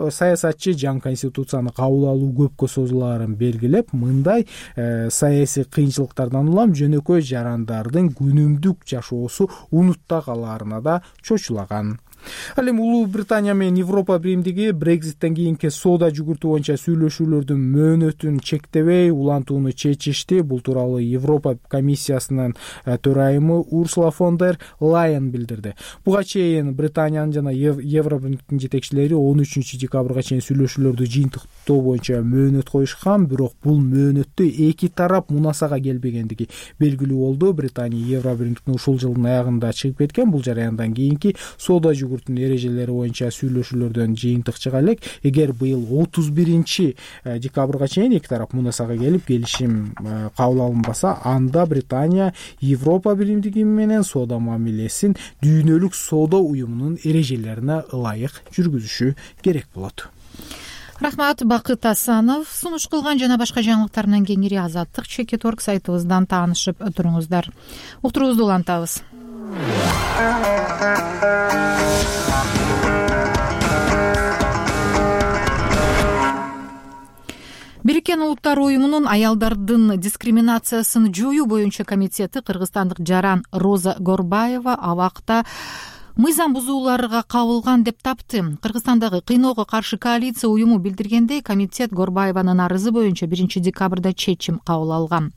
Саясатчы жаңы конституцияны кабыл алуу көпкө созулаарын белгилеп, мындай саясий кыйынчылыктардан улам жөнөкөй жарандардын күнүмдүк жашоосу унутта калаарына да чочулаган. Ал эми Улуу Британия менен Европа биримдиги Брекзиттен кийинки соода жүгүртүү боюнча сүйлөшүүлөрдүн мөөнөтүн чектебей улантууну чечишти. Бул тууралуу Европа комиссиясынын төрайымы Урсула фон дер Лайен билдирди. Буга чейин Британиянын жана Евробиримдиктин жетекчилери 13 декабрга чейин сүйлөшүүлөрдү жыйынтыктоо боюнча мөөнөт коюшкан, бирок бул мөөнөттө эки тарап мунасага келбегендиги белгилүү болду. Британия Евробиримдиктин ушул жылдын аягында чыгып кеткен. Бул жараяндан кийинки соода эрежелери боюнча сүйлөшүүлөрдөн жыйынтык чыга элек. Эгер быйыл 31 декабрга чейин эки тарап мунасага келип келишим кабыл алынбаса, анда Британия Европа биримдиги менен соода мамилесин дүйнөлүк соода уюмунун эрежелерине ылайык жүргүзүшү керек болот. Рахмат, Бакыт Асанов сунуш кылган. Жана башка жаңылыктар менен кеңири Азаттык.org сайтыбыздан таанышып туруңуздар. Уктуруубузду улантабыз. Бириккен Улуттар уюмунун аялдардын дискриминациясын жоюу боюнча комитети кыргызстандык жаран Роза Горбаева абакта мыйзам бузууларга кабылган деп тапты. Кыргызстандагы кыйноого каршы коалиция уюму билдиргендей, комитет Горбаеванын арызы боюнча 1 декабрда чечим кабыл алган.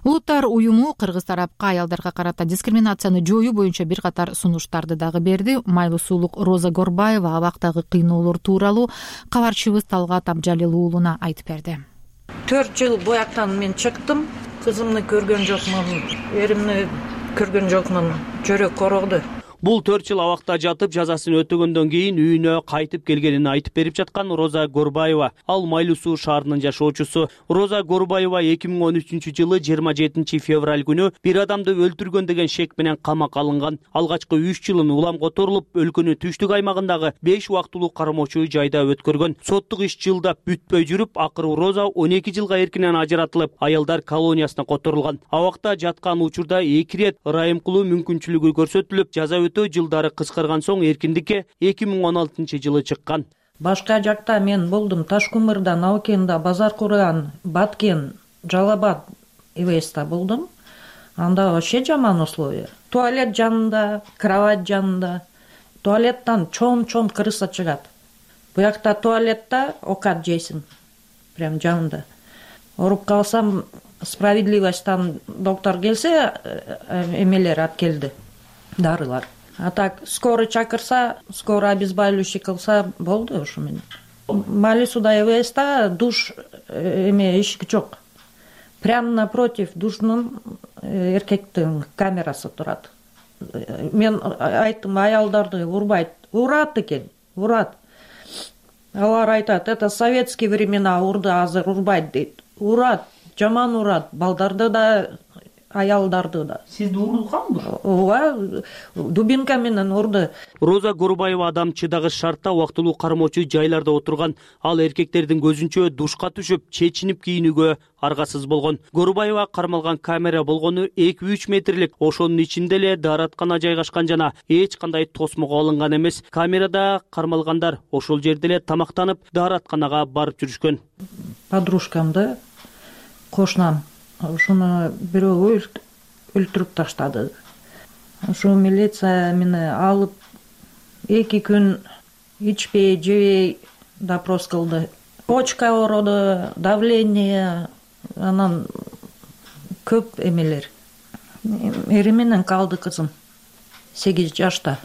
Улуттар уюму кыргыз тарапка аялдарга карата дискриминацияны жоюу боюнча бир катар сунуштарды дагы берди. Майлуу суулук Роза Горбаева абактагы кыйноолор тууралуу кабарчыбыз Талгат Абжалил уулуна айтып берди. 4 жыл буяктан мен чыктым. Кызымды көргөн жокмун, эримди көргөн жокмун. Жөрөк корогду. Бул 4 жыл абакта жатып, жазасын өтөгөндөн кийин үйүнө кайтып келгенин айтып берип жаткан Роза Горбаева. Ал Майлуу Суу шаарынын жашоочусу. Роза Горбаева 2013-жылы 27 февраль күнү бир адамды өлтүргөн деген шек менен камакка алынган. Алгачкы 3 жылын улам которулуп, өлкөнүн түштүк аймагындагы 5 убактылуу кармоочу жайда өткөргөн. Соттук иш жылдап бүтпөй жүрүп, акыры Роза 12 жылга эркинен ажыратылып, аялдар колониясына которулган. Абакта жаткан учурда 2 рет ырайым кылуу мүмкүнчүлүгү көрсөтүлүп, жаза жылдары кыскарган соң эркиндикке 2016-жылы чыккан. Башка жакта мен болдум. Ташкумурда, Наукенда, Базар Курган, Баткен, Жалабад, Ивеста болдум. Анда вообще жаман условия. Туалет жанында, кровать жанында. Туалеттан чоң крыса чыгат. Буякта туалетта окат жейсиң. Прям жанында. Оруп калсам, справедливостьтан доктор келсе, эмелер алып келди. Дарылар. А так, скоро чакырса, скоро обезболивающий кылса болду ушу менен. Майлуу сууда ЭВСта душ эшиги жок. Прямо напротив душнун эркектин камерасы турат. Мен айттым, аялдарды урбайт. Урат экен, урат. Алар айтат, это советские времена урду, азыр урбайт дейт. Урат, жаман урат. Балдарды да, аялдарды да. Сизди урганбы? Ооба, дубинка менен урду. Роза Горбаева адам чыдагыч шартта убактылуу кармоочу жайларда отурган. Ал эркектердин көзүнчө душка түшүп, чечинип кийинүүгө аргасыз болгон. Горбаева кармалган камера болгону 2-3 метрлик. Ошонун ичинде эле даараткана жайгашкан жана эч кандай тосмого алынган эмес. Камерада кармалгандар ошол жерде эле тамактанып, дааратканага барып жүрүшкөн. Подружкамды, кошунам ушуну бирөө өлтүрүп таштады. Ушу милиция мени алып 2 күн ичпей, жебей допрос кылды. почка ооруду, давление, анан көп эмелер. Эри менен калды кызым 8 жашта.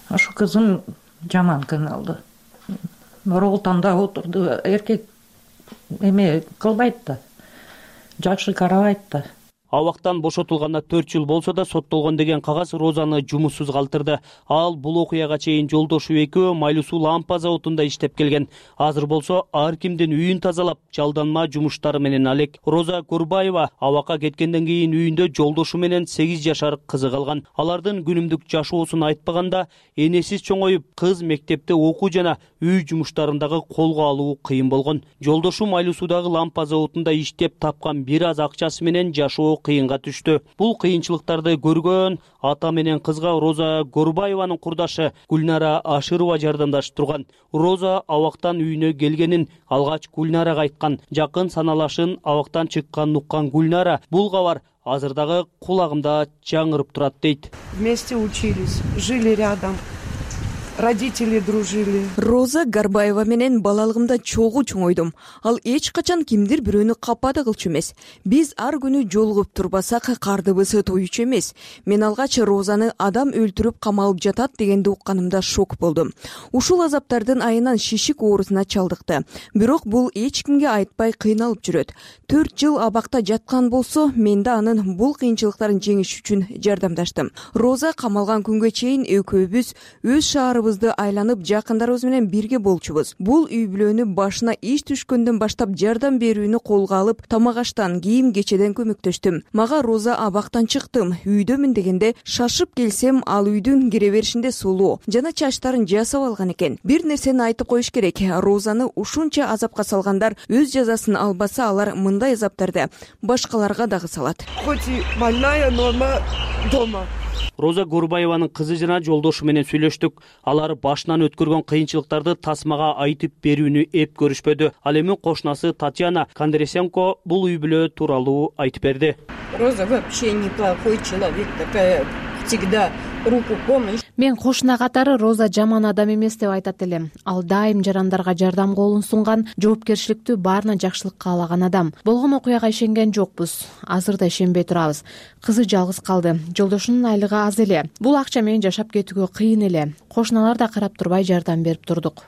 Ошо кызым жаман кыйналды. Ролтонда отурду, эркек эме кылбайт да, жакшы карабайт да. Абактан бошотулганына 4 жыл болсо да соттолгон деген кагаз Розаны жумуссуз калтырды. Ал бул окуяга чейин жолдошу экөө майлуу суу лампа заводунда иштеп келген. Азыр болсо ар кимдин үйүн тазалап, жалданма жумуштары менен алек. Роза Горбаева абакка кеткенден кийин үйүндө жолдошу менен 8 жашар кызы калган. Алардын күнүмдүк жашоосун айтпаганда, энесиз чоңоюп, кыз мектепте окуу жана үй жумуштарындагы колго алуу кыйын болгон. Жолдошу майлуу суудагы лампа заводунда иштеп тапкан бир аз акчасы менен жашоо кыйынга түштү. Бул кыйынчылыктарды көргөн ата менен кызга Роза Горбаеванын курдашы Гүлнара Ашырова жардамдашып турган. Роза абактан үйүнө келгенин алгач Гүлнарага айткан. Жакын саналашын абактан чыкканын уккан Гүлнара бул кабар азыр дагы кулагымда жаңырып турат дейт. Вместе учились, жили рядом. Родители дружили. Роза Горбаева менен балалыгымда чогуу чоңойдум. Ал эч качан кимдир бирөөнү капада кылчу эмес. Биз ар күнү жолугуп турбасак кардыбызы тоючу эмес. Мен алгач Розаны адам өлтүрүп камалып жатат дегенди укканымда шок болдум. Ушул азаптардын айынан шишик оорусуна чалдыкты. Бирок бул эч кимге айтпай кыйналып жүрөт. 4 жыл абакта жаткан болсо, мен да анын бул кыйынчылыктарын жеңиш үчүн жардамдаштым. Роза камалган күнгө чейин экөөбүз өз шаарыбызды айланып жакындарыбыз менен бирге болчубуз. Бул үй бүлөнү башына иш түшкөндөн баштап жардам берүүнү колго алып, тамак аштан, кийим кечеден көмөктөштүм. Мага Роза абактан чыктым, үйдөмүн дегенде шашып келсем, ал үйдүн кире беришинде сулуу жана чачтарын жасап алган экен. Бир нерсени айтып коюш керек. Розаны ушунча азапка салгандар өз жазасын албаса, алар мындай азаптарды башкаларга дагы салат. Хоть и больная, но она дома. Роза Горбаеванын кызы жана жолдошу менен сүйлөштүк. Алар башынан өткөргөн кыйынчылыктарды тасмага айтып берүүнү эп көрүшпөдү. Ал эми кошунасы Татьяна Кондресенко бул үй бүлө тууралуу айтып берди. Роза вообще неплохой человек, такая всегда руку помощь. Мен кошуна катары Роза жаман адам эмес деп айтат элем. Ал дайым жарандарга жардам колун сунган, жоопкерчиликтүү, баарына жакшылык каалаган адам. Болгон окуяга ишенген жокпуз. Азыр да ишенбей турабыз. Кызы жалгыз калды. Жолдошунун айлыгы аз эле. Бул акча менен жашап кетүүгө кыйын эле. Кошуналар да карап турбай жардам берип турдук.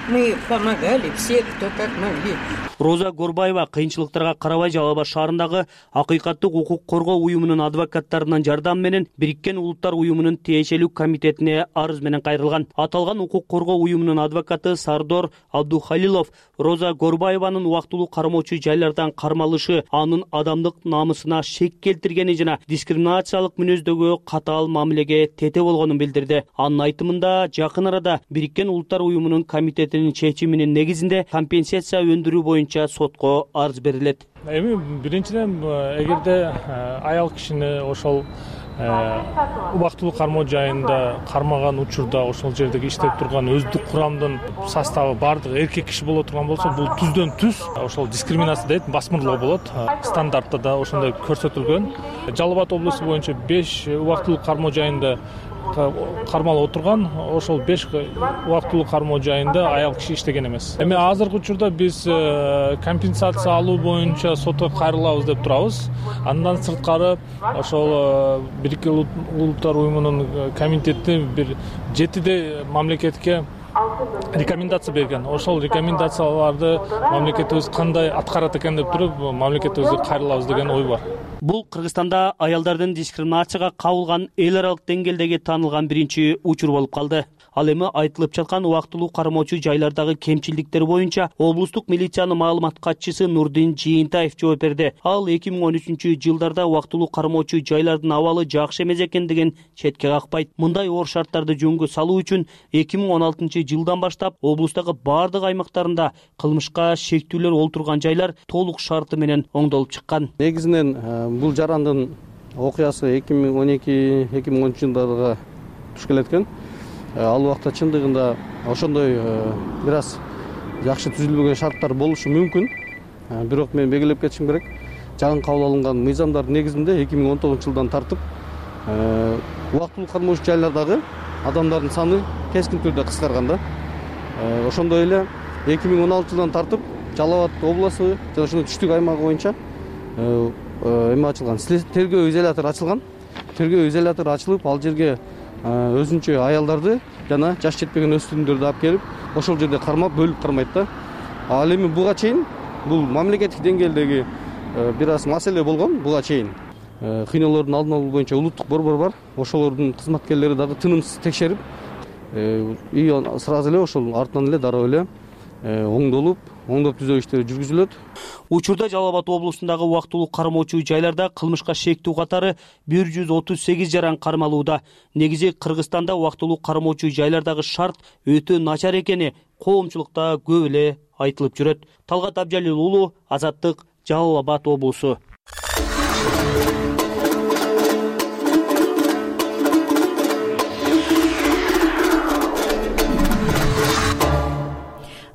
Мы помогали все, кто как могли. Роза Горбаева кыйынчылыктарга карабай Жалал Абад шаарындагы Акыйкаттык укук коргоо уюмунун адвокаттарынын жардамы менен Бириккен Улуттар уюмунун тиешелүү комитетине арыз менен кайрылган. Аталган укук коргоо уюмунун адвокаты Сардор Абдухалилов Роза Горбаеванын убактылуу кармоочу жайлардан кармалышы анын адамдык намысына шек келтиргени жана дискриминациялык мүнөздөгү катаал мамилеге тете болгонун билдирди. Анын айтымында жакын арада Бириккен Улуттар уюмунун комитетинин чечиминин негизинде компенсация өндүрүү боюнча сотко арыз берилет. Эми биринчиден эгерде аял кишини ошол убактылуу кармоо жайында кармаган учурда ошол жердеги иштеп турган өздүк курамдын составы баардыгы эркек киши боло турган болсо, бул түздөн түз ошол дискриминация дейт, басмырлоо болот. Стандартта да ошондой көрсөтүлгөн. Жалал Абад облусу боюнча 5 убактылуу кармоо жайында кармалып отурган, ошол 5 убактылуу кармоо жайында аял киши иштеген эмес. Эми азыркы учурда биз компенсация алуу боюнча сотко кайрылабыз деп турабыз. Андан сырткары ошол Бириккен Улуттар уюмунун комитети бир 7 мамлекетке рекомендация берген. Ошол рекомендацияларды мамлекетибиз кандай аткарат экен деп туруп, мамлекетибизге кайрылабыз деген ой бар. Бул Кыргызстанда аялдардын дискриминацияга кабылган эл аралык деңгээлдеги таанылган биринчи учур болуп калды. Ал эми айтылып жаткан убактылуу кармоочу жайлардагы кемчиликтер боюнча облустук милициянын маалымат катчысы Нурдин Жыйынтаев жооп берди. Ал 2013-жылдарда убактылуу кармоочу жайлардын абалы жакшы эмес экендигин четке какпайт. Мындай оор шарттарды жөнгө салуу үчүн 2016-жылдан баштап облустагы бардык аймактарында кылмышка шектүүлөр олтурган жайлар толук шарты менен оңдолуп чыккан. Негизинен бул жарандын окуясы 2012-2013 жылдарга туш келет экен. Ал убакта чындыгында ошондой бир аз жакшы түзүлбөгөн шарттар болушу мүмкүн. Бирок мен белгилеп кетишим керек. Жаңы кабыл алынган мыйзамдардын негизинде 2019-жылдан тартып убактылуу кармоочу жайлардагы адамдардын саны кескин түрдө кыскарган да. Ошондой эле 2016 тартып Жалал Абад областы жана ошонун түштүк аймагы боюнча эме ачылган, тергөө изолятору ачылган. Тергөө изолятору ачылып, ал жерге өзүнчө аялдарды жана жаш жетпеген өспүрүмдөрдү алып келип, ошол жерде кармап, бөлүп кармайт да. Ал эми буга чейин бул мамлекеттик деңгээлдеги бир аз маселе болгон. Буга чейин кыйноолордун алдын алуу боюнча улуттук борбор бар. Ошолордун кызматкерлери дагы тынымсыз текшерип, и сразу эле ошол артынан эле дароо эле оңдоп түзөө иштери жүргүзүлөт. Учурда Жалал Абад облусундагы убактылуу кармоочу жайларда кылмышка шектүү катары 138 жаран кармалууда. Негизи Кыргызстанда убактылуу кармоочу жайлардагы шарт өтө начар экени коомчулукта көп эле айтылып жүрөт. Талгат Абжалил уулу, Азаттык, Жалал Абад облусу.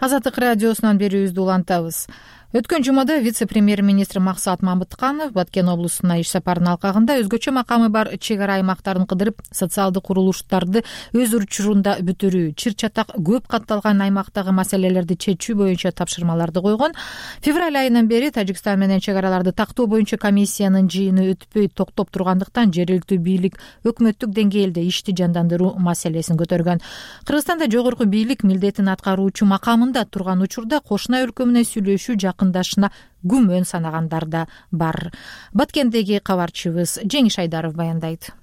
Азаттык радиосунан берүүбүздү улантабыз. Өткөн жумада вице-премьер-министр Максат Мамытканов Баткен облусуна иш сапарынын алкагында өзгөчө макамы бар чек ара аймактарын кыдырып, социалдык курулуштарды өз учурунда бүтүрүү, чыр-чатак көп катталган аймактагы маселелерди чечүү боюнча тапшырмаларды койгон. Февраль айынан бери Тажикстан менен чек араларды тактоо боюнча комиссиянын жыйыны өтпөй токтоп тургандыктан жергиликтүү бийлик өкмөттүк деңгээлде ишти жандандыруу маселесин көтөргөн. Кыргызстанда жогорку бийлик милдетин аткаруучу макамында турган учурда кошуна өлкө менен сүйлөшүү жакындашына күмөн санагандар да бар. Баткендеги кабарчыбыз Жеңиш Айдаров баяндайт.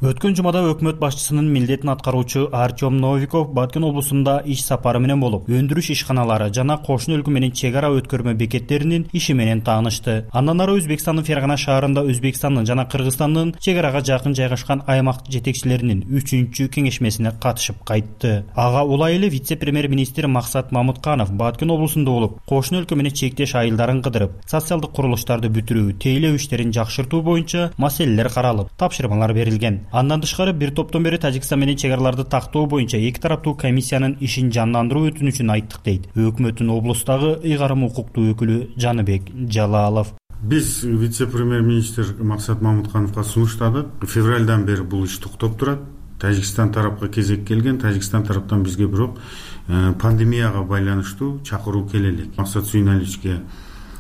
Өткөн жумада өкмөт башчысынын милдетин аткаруучу Артем Новиков Баткен облусунда иш сапары менен болуп, өндүрүш ишканалары жана кошуна өлкө менен чек ара өткөрмө бекеттеринин иши менен таанышты. Андан ары Өзбекстандын Фергана шаарында Өзбекстандын жана Кыргызстандын чек арага жакын жайгашкан аймак жетекчилеринин 3-чү кеңешмесине катышып кайтты. Ага улай эле вице-премьер-министр Максат Мамытканов Баткен облусунда болуп, кошуна өлкө менен чектеш айылдарын кыдырып, социалдык курулуштарды бүтүрүү, тейлөө иштерин жакшыртуу боюнча маселелер каралып, тапшырмалар берилген. Андан тышкары бир топтон бери Тажикстан менен чек араларды тактоо боюнча эки тараптуу комиссиянын ишин жандандыруу өтүнүчүн айттык дейт өкмөттүн облустагы ыйгарым укуктуу өкүлү Жаныбек Жалалов. Биз вице-премьер-министр Максат Мамыткановго сунуштадык. Февралдан бери бул иш токтоп турат. Тажикстан тарапка кезек келген. Тажикстан тараптан бизге бирок пандемияга байланыштуу чакыруу келе элек. Максат Сүйүналичке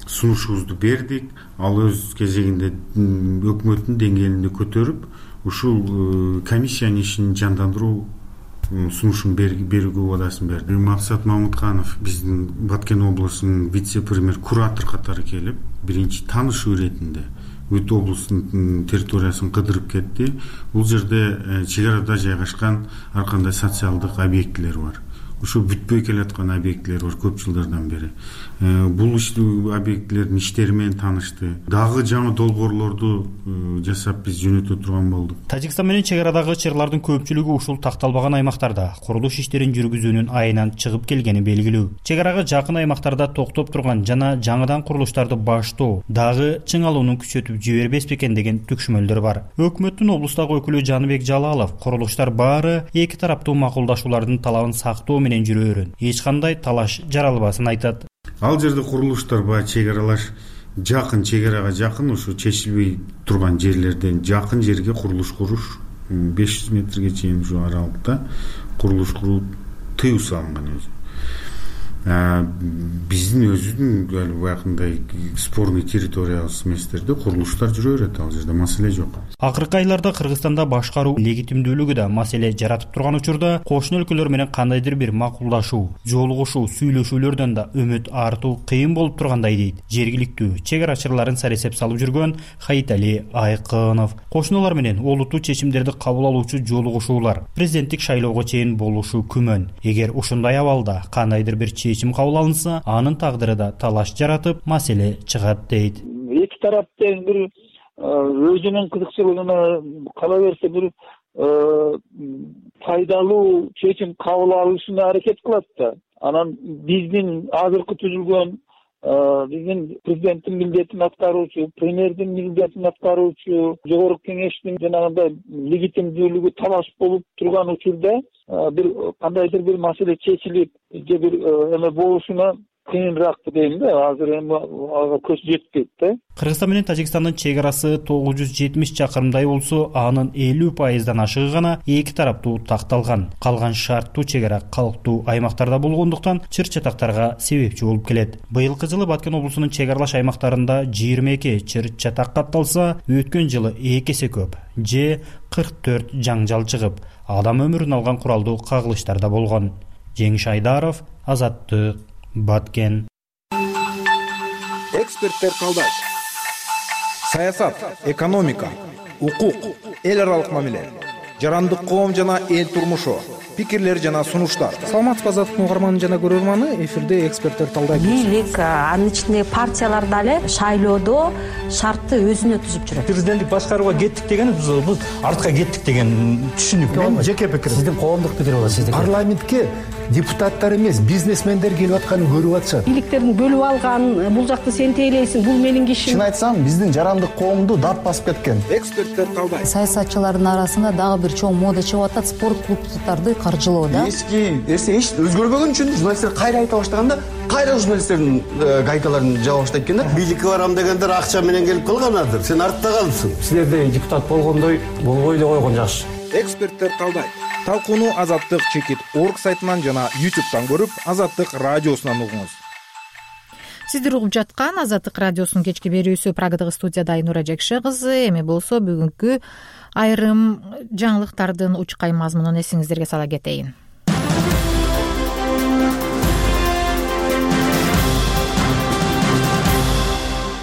сунушубузду бердик. Ал өз кезегинде өкмөттүн деңгээлинде көтөрүп, ушул комиссиянын ишин жандандыруу сунушун берүүгө убадасын берди. Максат Мамытканов биздин Баткен облусунун вице-премьер куратор катары келип, биринчи таанышуу иретинде бүт облустун территориясын кыдырып кетти. Бул жерде чек арада жайгашкан ар кандай социалдык объектилер бар. Ушу бүтпөй келаткан объектилер бар көп жылдардан бери. Бул объектилердин иштери менен таанышты. Дагы жаңы долбоорлорду жасап биз жөнөтө турган болдук. Тажикстан менен чек арадагы чырлардын көпчүлүгү ушул такталбаган аймактарда курулуш иштерин жүргүзүүнүн айынан чыгып келгени белгилүү. Чек арага жакын аймактарда токтоп турган жана жаңыдан курулуштарды баштоо дагы чыңалууну күчөтүп жибербес бекен деген түкшүмөлдөр бар. Өкмөттүн облустагы өкүлү Жаныбек Жалалов курулуштар баары эки тараптуу макулдашуулардын талабын сактоо менен жүрөөрүн, эч кандай талаш жаралбасын айтат. Ал жерде курулуштар баягы чек аралаш жакын, чек арага жакын, ушу чечилбей турган жерлерден жакын жерге курулуш куруш 500 метрге чейин ушу аралыкта курулуш куруу тыюу салынган өзү. Биздин өзүнүн баягындай спорный территориябыз эместерде курулуштар жүрө берет, ал жерде маселе жок. Акыркы айларда Кыргызстанда башкаруу легитимдүүлүгү да маселе жаратып турган учурда кошуна өлкөлөр менен кандайдыр бир макулдашуу, жолугушуу, сүйлөшүүлөрдөн да үмүт артуу кыйын болуп тургандай дейт жергиликтүү чек арачыларын саресеп салып жүргөн Хаитали Айкынов. Кошуналар менен олуттуу чечимдерди кабыл алуучу жолугушуулар президенттик шайлоого чейин болушу күмөн. Эгер ушундай абалда кандайдыр бир чечим кабыл алынса, анын тагдыры да талаш жаратып, маселе чыгат дейт. Эки тарап тең бир өзүнүн кызыкчылыгына кала берсе бир пайдалуу чечим кабыл алышына аракет кылат да. Анан биздин азыркы түзүлгөн биздин президенттин милдетин аткаруучу, премьердин милдетин аткаруучу, жогорку кеңештин жанагындай легитимдүүлүгү талаш болуп турган учурда бир кандайдыр бир маселе чечилип же бир эме болушуна кыйыныраак дейм да, азыр эми ага көз жетпейт да. Кыргызстан менен Тажикстандын чек арасы 970 чакырымдай болсо, анын 50% ашыгы гана эки тараптуу такталган. Калган шарттуу чек ара калктуу аймактарда болгондуктан чыр-чатактарга себепчи болуп келет. Быйылкы жылы Баткен облусунун чек аралаш аймактарында 22 чыр-чатак катталса, өткөн жылы 2 эсе көп. 44 жаңжал чыгып, адам өмүрүн алган куралдуу кагылыштар да болгон. Жеңиш Айдаров, Азаттык, Баткен. Эксперттер талдайт. Саясат, экономика, укук, эл аралык мамиле, жарандык коом жана эл турмушу, пикирлер жана сунуштар. Саламатсызбы, Азаттык угарманы жана көрөрманы, эфирде эксперттер талдайт. Бийлик, анын ичинде партиялар дагы шайлоодо шартты өзүнө түзүп жүрөт. Президенттик башкарууга кеттик деген бул артка кеттик деген түшүнүк. Мен жеке пикирим. Сиздин коомдук пикир болот, сиздики. Парламентке депутаттар эмес, бизнесмендер келип атканын көрүп атышат. Бийликтердин бөлүп алган, бул жакты сен тейлейсиң, бул менин кишим. Чын айтсам, биздин жарандык коомду дат басып кеткен. Эксперттер талдайт. Саясатчылардын арасында дагы бир чоң мода чыгып атат, спорт клубдарды каржылоо да. Эски нерсе эч өзгөрбөгөн үчүн журналисттер кайра айта баштаганда, кайра журналисттердин гайкаларын жаба баштайт экен да. Бийликке барам дегендер акча менен келип калганадыр. Сен артта калдың. Силерде депутат болгондой болбой эле койгон жакшы. Эксперттер талдайт. Талкууну Азаттык Чекит.org сайтынан жана YouTube'дан көрүп, Азаттык радиосунан угуңуз. Сиздер угуп жаткан Азаттык радиосунун кечки берүүсү. Прагадагы студияда Айнура Жекше кызы. Эми болсо бүгүнкү айрым жаңылыктардын учкай мазмунун эсиңиздерге сала кетейин.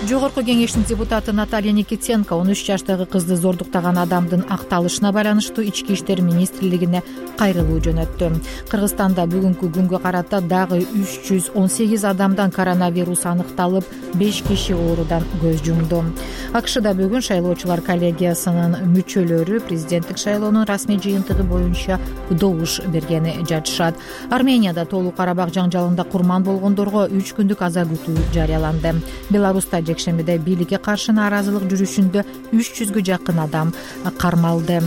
Жогорку кеңештин депутаты Наталья Никитенко 13 жаштагы кызды зордуктаган адамдын акталышына байланыштуу Ички иштер министрлигине кайрылуу жөнөттү. Кыргызстанда бүгүнкү күнгө карата дагы 318 адамдан коронавирус аныкталып, 5 киши оорудан көз жумду. АКШда бүгүн шайлоочулар коллегиясынын мүчөлөрү президенттик шайлоонун расмий жыйынтыгы боюнча добуш бергени жатышат. Арменияда Тоолуу Карабак жаңжалында курман болгондорго 3 күндүк аза күтүү жарыяланды. Беларуста жекшембиде бийликке каршы нааразылык жүрүшүндө 300гө жакын адам кармалды.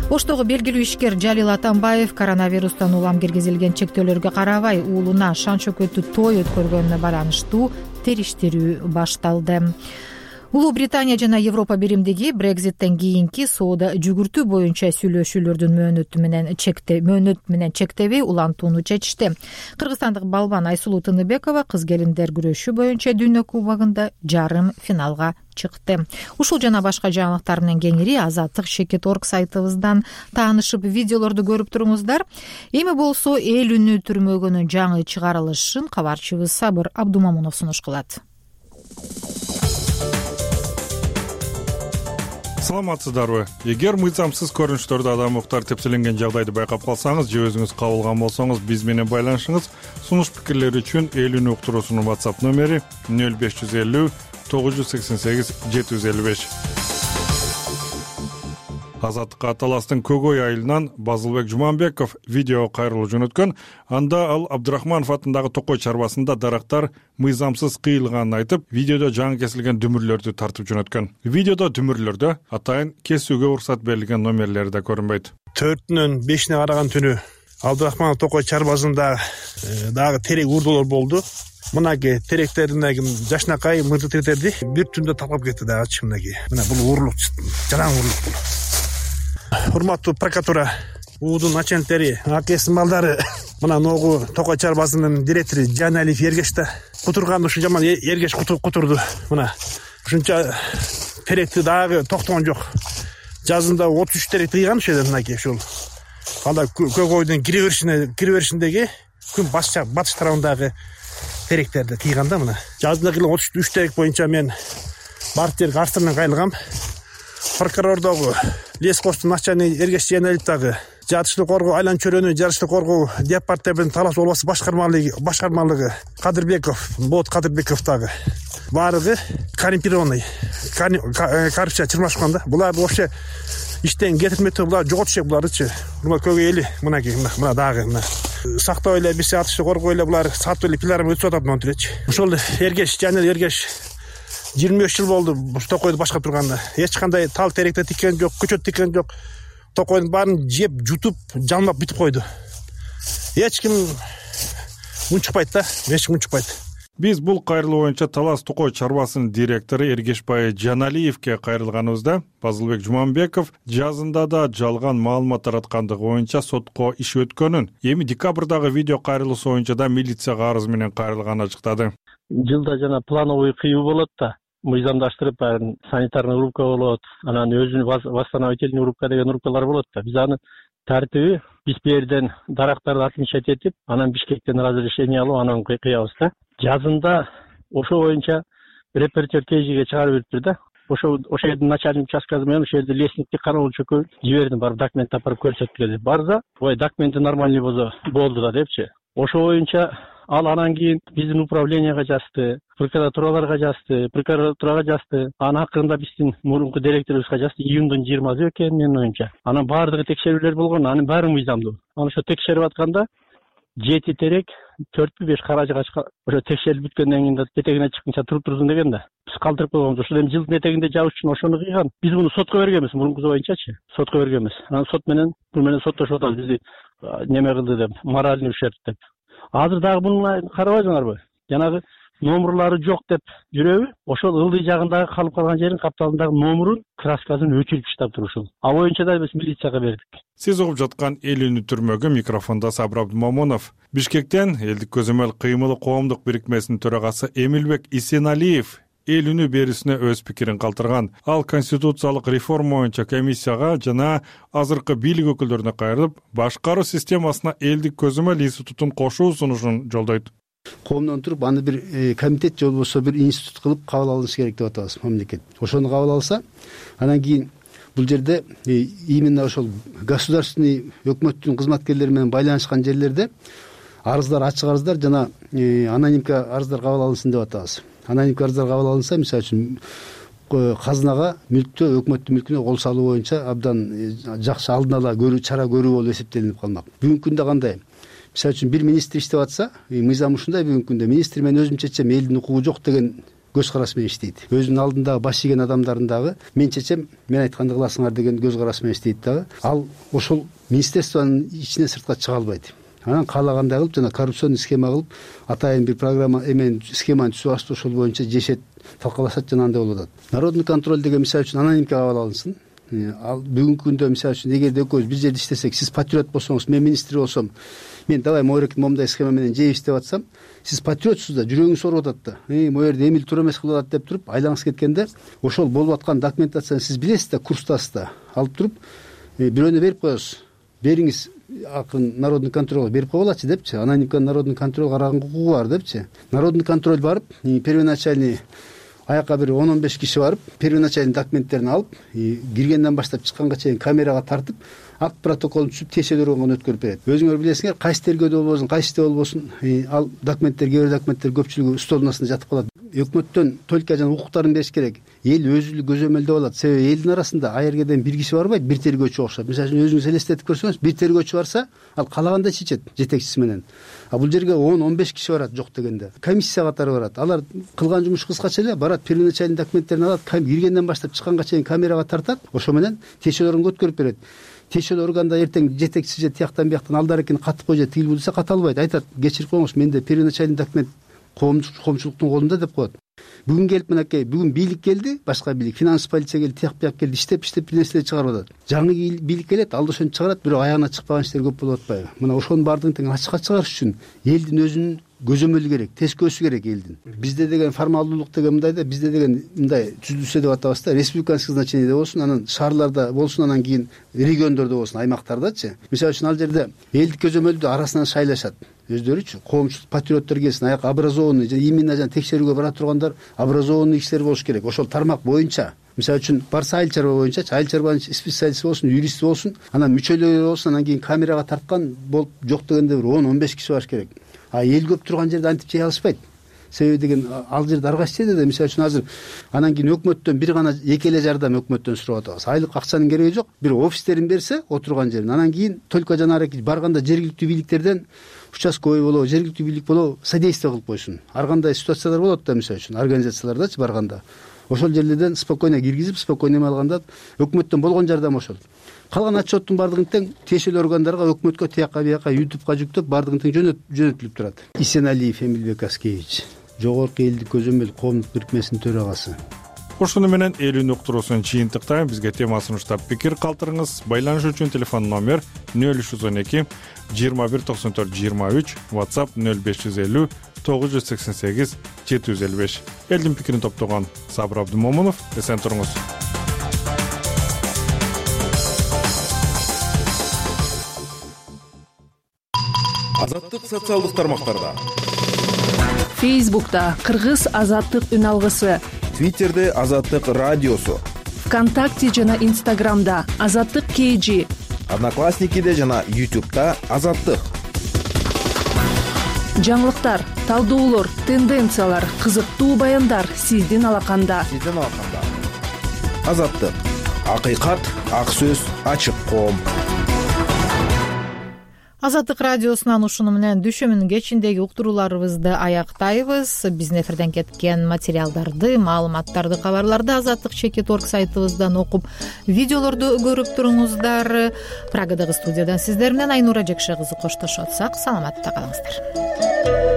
Оштогу белгилүү ишкер Жалил Атамбаев коронавирустан улам киргизилген чектөөлөргө карабай уулуна шан шөкөттүү той өткөргөнүнө байланыштуу териштирүү башталды. Улуу Британия жана Европа биримдиги Брекзиттен кийинки соода жүгүртүү боюнча сүйлөшүүлөрдүн мөөнөт менен чектебей улантууну чечишти. Кыргызстандык балбан Айсулуу Тыныбекова кыз келиндер күрөшү боюнча дүйнө кубогунда жарым финалга чыкты. Ушул жана башка жаңылыктар менен кеңири Азаттык Чекит.org сайтыбыздан таанышып видеолорду көрүп туруңуздар. Эми болсо эл үнү түрмөгүнүн жаңы чыгарылышын кабарчыбыз Сабыр Абдумамунов сунуш кылат. Саламатсыздарбы? Эгер мыйзамсыз көрүнүштөрдө адам укуктар тепселенген жагдайды байкап калсаңыз же өзүңүз кабылган болсоңуз биз менен байланышыңыз. Сунуш пикирлер үчүн эл үнү уктуруусунун WhatsApp номери 0550 988 755. Азаттыкка Аталастын Көгөй айылынан Базылбек Жуманбеков видео кайрылуу жөнөткөн. Анда ал Абдырахманов атындагы Токой чарбасында дарактар мыйзамсыз кыйылганын айтып, видеодо жаңы кесилген дүмүрлөрдү тартып жөнөткөн. Видеодо дүмүрлөрдө атайын кесүүгө уруксат берилген номерлери да көрүнбөйт. 4-нөн 5-ине караган түнү Абдырахманов Токой чарбасында дагы терек урдулар болду. Мынаки теректердеги жашнакай мырды теrekтерди бир түндө талкап кетти дагы чымынаки. Мына бул уурлук, жаран уурлук бул. Урматтуу прокуратура, уудун начальниктери, акесин балдары, мына ногу Токой чарбасынын директору Жаналиев Ергеш да кутурган ушу жаман Ергеш кутурду. Мына ушунча теректи дагы токтогон жок. Жазында 33 терек тыйган ушул жерде мынаки ушул. Анда Көгөйдүн кире беришиндеги күн батыш тарабындагы теректерди тыйган да мына. Жазында 33 терек боюнча мен бардык жерге арыз менен кайрылгам. Прокурордогу лескостун начальниги Ергеш Жаналиев дагы жатыштуу коргоо айлан чөрөнү жарыштуу коргоо департаментинин талаш болбосу башкармалыгы Кадырбеков, Болот Кадырбеков дагы баардыгы коррумпированный, коррупция чырмашкан да. Булар вообще иштен кетирмектүү, булар жоготуш керек булардычы. Мына Көгөй эли мынаки мына дагы мына сактоо эле биз атыштуу коргоо эле булар сатып эле пиларым өтүп атат монтиречи. Ошол Ергеш Жаналиев Ергеш 23 жыл болду Токойду башкарып турганда. Эч кандай тал теректе тиккен жок, көчөт тиккен жок. Токойдун баарын жеп, жутуп, жалмап бүтүп койду. Эч ким унчукпайт да, эч ким унчукпайт. Биз бул кайрылуу боюнча Талас Токой чарбасынын директору Эргешбай Жаналиевке кайрылганыбызда Базылбек Жуманбеков жазында да жалган маалымат тараткандыгы боюнча сотко иш өткөнүн, эми декабрдагы видео кайрылуусу боюнча да милицияга арыз менен кайрылганын ачыктады. Жылда жана плановый кыюу болот да, мыйзамдаштырып санитарный рубка болот, анан өзүнүн восстановительный рубка деген рубкалар болот да. Биз аны тартиби биз берден дарактарды отмечать этип, анан Бишкектен разрешение алып, анан кыябыз да. Жазында ошо боюнча репортер ТЖге чыгарып бериптир да. Ошо жердин начальник участкасы менен ошол жерде лестникти кароолчуга жибердим, барып документ апарып көрсөткүлө деп. Барса, ой, документи нормальный болду да депчи. Ошо боюнча ал анан кийин биздин управленияга жазды, прокуратурага жазды. Анын акырында биздин мурунку директорубузга жазды, июндун 20-сы экен менин оюмча. Анан баардыгы текшерүүлөр болгон, анын баары мыйзамдуу. Анан ошо текшерип атканда 7 терек 4-5 каражыга ошо текшерип бүткөндөн кийин этегине чыкканча турсын деген да. Биз калтырып койгонбуз. Ошол эми жылдын этегинде жабыш үчүн ошону кыйган. Биз муну сотко бергенбиз, мурункусу боюнчачы. Сотко бергенбиз. Анан сот менен соттошуп атабыз, бизди неме кылды деп, моральный ущерб деп. Азыр дагы муну карабайсыңарбы? Жанагы номерлары жок деп жүрөбү? Ошол ылдый жагындагы калып калган жерин капталындагы номерун, краскасын өчүрүп таштап турушул. А боюнча да биз милицияга бердик. Сиз угуп жаткан Эл үнү түрмөгү, микрофондо Сабыр Абдумомунов. Бишкектен Элдик көзөмөл кыймылы коомдук бирикмесинин төрагасы Эмилбек Исеналиев Эл үнү берүүсүнө өз пикирин калтырган. Ал конституциялык реформа боюнча комиссияга жана азыркы бийлик өкүлдөрүнө кайрылып, башкаруу системасына Элдик көзөмөл институтун кошуу сунушун жолдойт. Коомдон туруп аны бир комитет же болбосо бир институт кылып кабыл алыш керек деп атабыз мамлекет. Ошону кабыл алса, анан кийин бул жерде именно ошол государственный өкмөттүн кызматкерлери менен байланышкан жерлерде арыздар, ачык арыздар жана анонимка арыздар кабыл алынсын деп атабыз. Анонимка арыздар кабыл алынса, мисалы үчүн казынага мүлктө, өкмөттүн мүлкүнө кол салуу боюнча абдан жакшы алдын ала чара көрүү болуп эсептелип калмак. Бүгүнкү күндө кандай? Мисалы үчүн бир министр иштеп атса, мыйзам ушундай бүгүнкү күндө министр мен өзүм чечем, элдин укугу жок деген көз караш менен иштейт. Өзүнүн алдындагы баш ийген адамдардын дагы мен чечем, мен айтканды кыласыңар деген көз караш менен иштейт дагы. Ал ошол министерствонун ичинен сыртка чыга албайт. Анан каалагандай кылып жана коррупционный схема кылып, атайын бир программа схеманы түзүп алышты, ошол боюнча жешет, талкалашат жана андай болуп атат. Народный контроль деген мисалы үчүн анонимка кабыл алынсын. Ал бүгүнкү күндө мисалы үчүн эгерде экөөбүз бир жерде иштесек, сиз патриот болсоңуз, мен министр болсом, мен давай момундай схема менен жейбиз деп атсам, сиз патриотсуз да, жүрөгүңүз ооруп атат да. Могу жерде эмил туура эмес кылып атат деп туруп, айлаңыз кеткенде, ошол болуп аткан документацияны сиз билесиз да, курстасыз да. Алып туруп, бирөөнө берип коесуз. Бериңиз, акын народный контролго берип койгулачы депчи. Анонимка народный контроль караган укугу бар депчи. Народный контроль барып, первоначальный аяка бир 10-15 киши барып, первоначальный документтерин алып, киргенден баштап чыкканга чейин камерага тартып, акт протоколун түзүп текшерүүгө өткөрүп берет. Өзүңөр билесиңер, кайсы тергөөдө болбосун, кайсыда болбосун, ал документтер, кээ бир документтер көпчүлүгү столдун астында жатып калат. Өкмөттөн только жана укуктарын бериш керек. Эл өзү көзөмөлдөп алат. Себеби элдин арасында аеркеден бир киши барбайт, бир тергөөчү окшоп. Мисалы үчүн өзүңүз элестетип көрсөңүз, бир тергөөчү барса, ал каалагандай чечет жетекчиси менен. А бул жерге 10-15 киши барат жок дегенде. Комиссия катары барат. Алар кылган жумуш кыскача эле барат, первоначальный документтерин алат, киргенден баштап чыкканга чейин камерага тартат, ошо менен тиешелөрүн өткөрүп берет. Тиешелүү органда эртең жетекчиси же тияктан бияктан алдарыкин катып кой же тигил бул десе ката албайт. Айтат, кечирип коюңуз, менде первоначальный документ коомчулуктун колунда деп коет. Бүгүн келип мынакей, бүгүн бийлик келди, башка бийлик, финанс полиция келди, тияк бияк келди, иштеп бир нерселер чыгарып атат. Жаңы бийлик келет, ал да ошону чыгарат, бирок аягына чыкпаган иштер көп болуп атпайбы? Мына ошонун баардыгын тең ачыкка чыгарыш үчүн элдин өзүнүн көзөмөлү керек, тескөөсү керек элдин. Бизде деген формалдуулук деген мындай да, бизде деген мындай түзүлсө деп атабыз да, республиканский значениеде болсун, анан шаарларда болсун, анан кийин региондордо болсун, аймактардачы. Мисалы үчүн ал жерде элдик көзөмөлдү арасынан шайлашат. Өздөрүчү коомчулук патриоттор келсин, аяк образованный же именно жана текшерүүгө бара тургандар образованный кишилер болуш керек. Ошол тармак боюнча, мисалы үчүн барса айыл чарба боюнча, айыл чарбанын специалисти болсун, юрист болсун, анан мүчөлөрү болсун, анан кийин камерага тарткан болуп жок дегенде бир 10-15 киши барыш керек. А эл көп турган жерде антип жей алышпайт. Себеби деген ал жерде ар кайсы жерде мисалы үчүн азыр анан кийин өкмөттөн бир гана эки эле жардам өкмөттөн сурап атабыз. Айлык акчанын кереги жок, бир офистерин берсе отурган жерин, анан кийин только жанагы барганда жергиликтүү бийликтерден участковый болобу, жергиликтүү бийлик болобу содействие кылып койсун. Ар кандай ситуациялар болот да, мисалы үчүн организациялардачы барганда. Ошол жерлерден спокойно киргизип, спокойно эме алганда өкмөттөн болгон жардам ошол. Калган отчеттун баардыгын тең тиешелүү органдарга, өкмөткө, тияка бияка, ютубка жүктөп, баардыгын тең жөнөтүлүп турат. Исеналиев Эмилбек Аскевич. жогорку элдик көзөмөл коомдук бирикмесинин төрагасы. Ушуну менен элүүнү уктуруусун чыйынтыктайм. Бизге тема сунуштап пикир калтырыңыз. Байланыш үчүн телефон номер 0312 21 94 23, WhatsApp 0550 988 755. Элдин пикирин топтогон Сабыр Абдымомунов. Эсен туруңуз. Азаттык социалдык тармактарда. Фейсбукта Кыргыз азаттык үн алгысы, Твиттерде Азаттык радиосу, ВКонтакте жана Инстаграмда Азаттык KG, Одноклассникиде жана YouTube'да Азаттык. Жаңылыктар, талдоолор, тенденциялар, кызыктуу баяндар сиздин алаканда. Азаттык. Акыйкат, ак сөз, ачык коом. Азаттык радиосунан ушуну менен дүйшөмбүнүн кечиндеги уктурууларыбызды аяктайбыз. Биздин эфирден кеткен материалдарды, маалыматтарды, кабарларды azatlyk.org сайтыбыздан окуп, видеолорду көрүп туруңуздар. Прагадагы студиядан сиздер менен Айнура Жекше кызы коштошуп атсак, саламатта калыңыздар.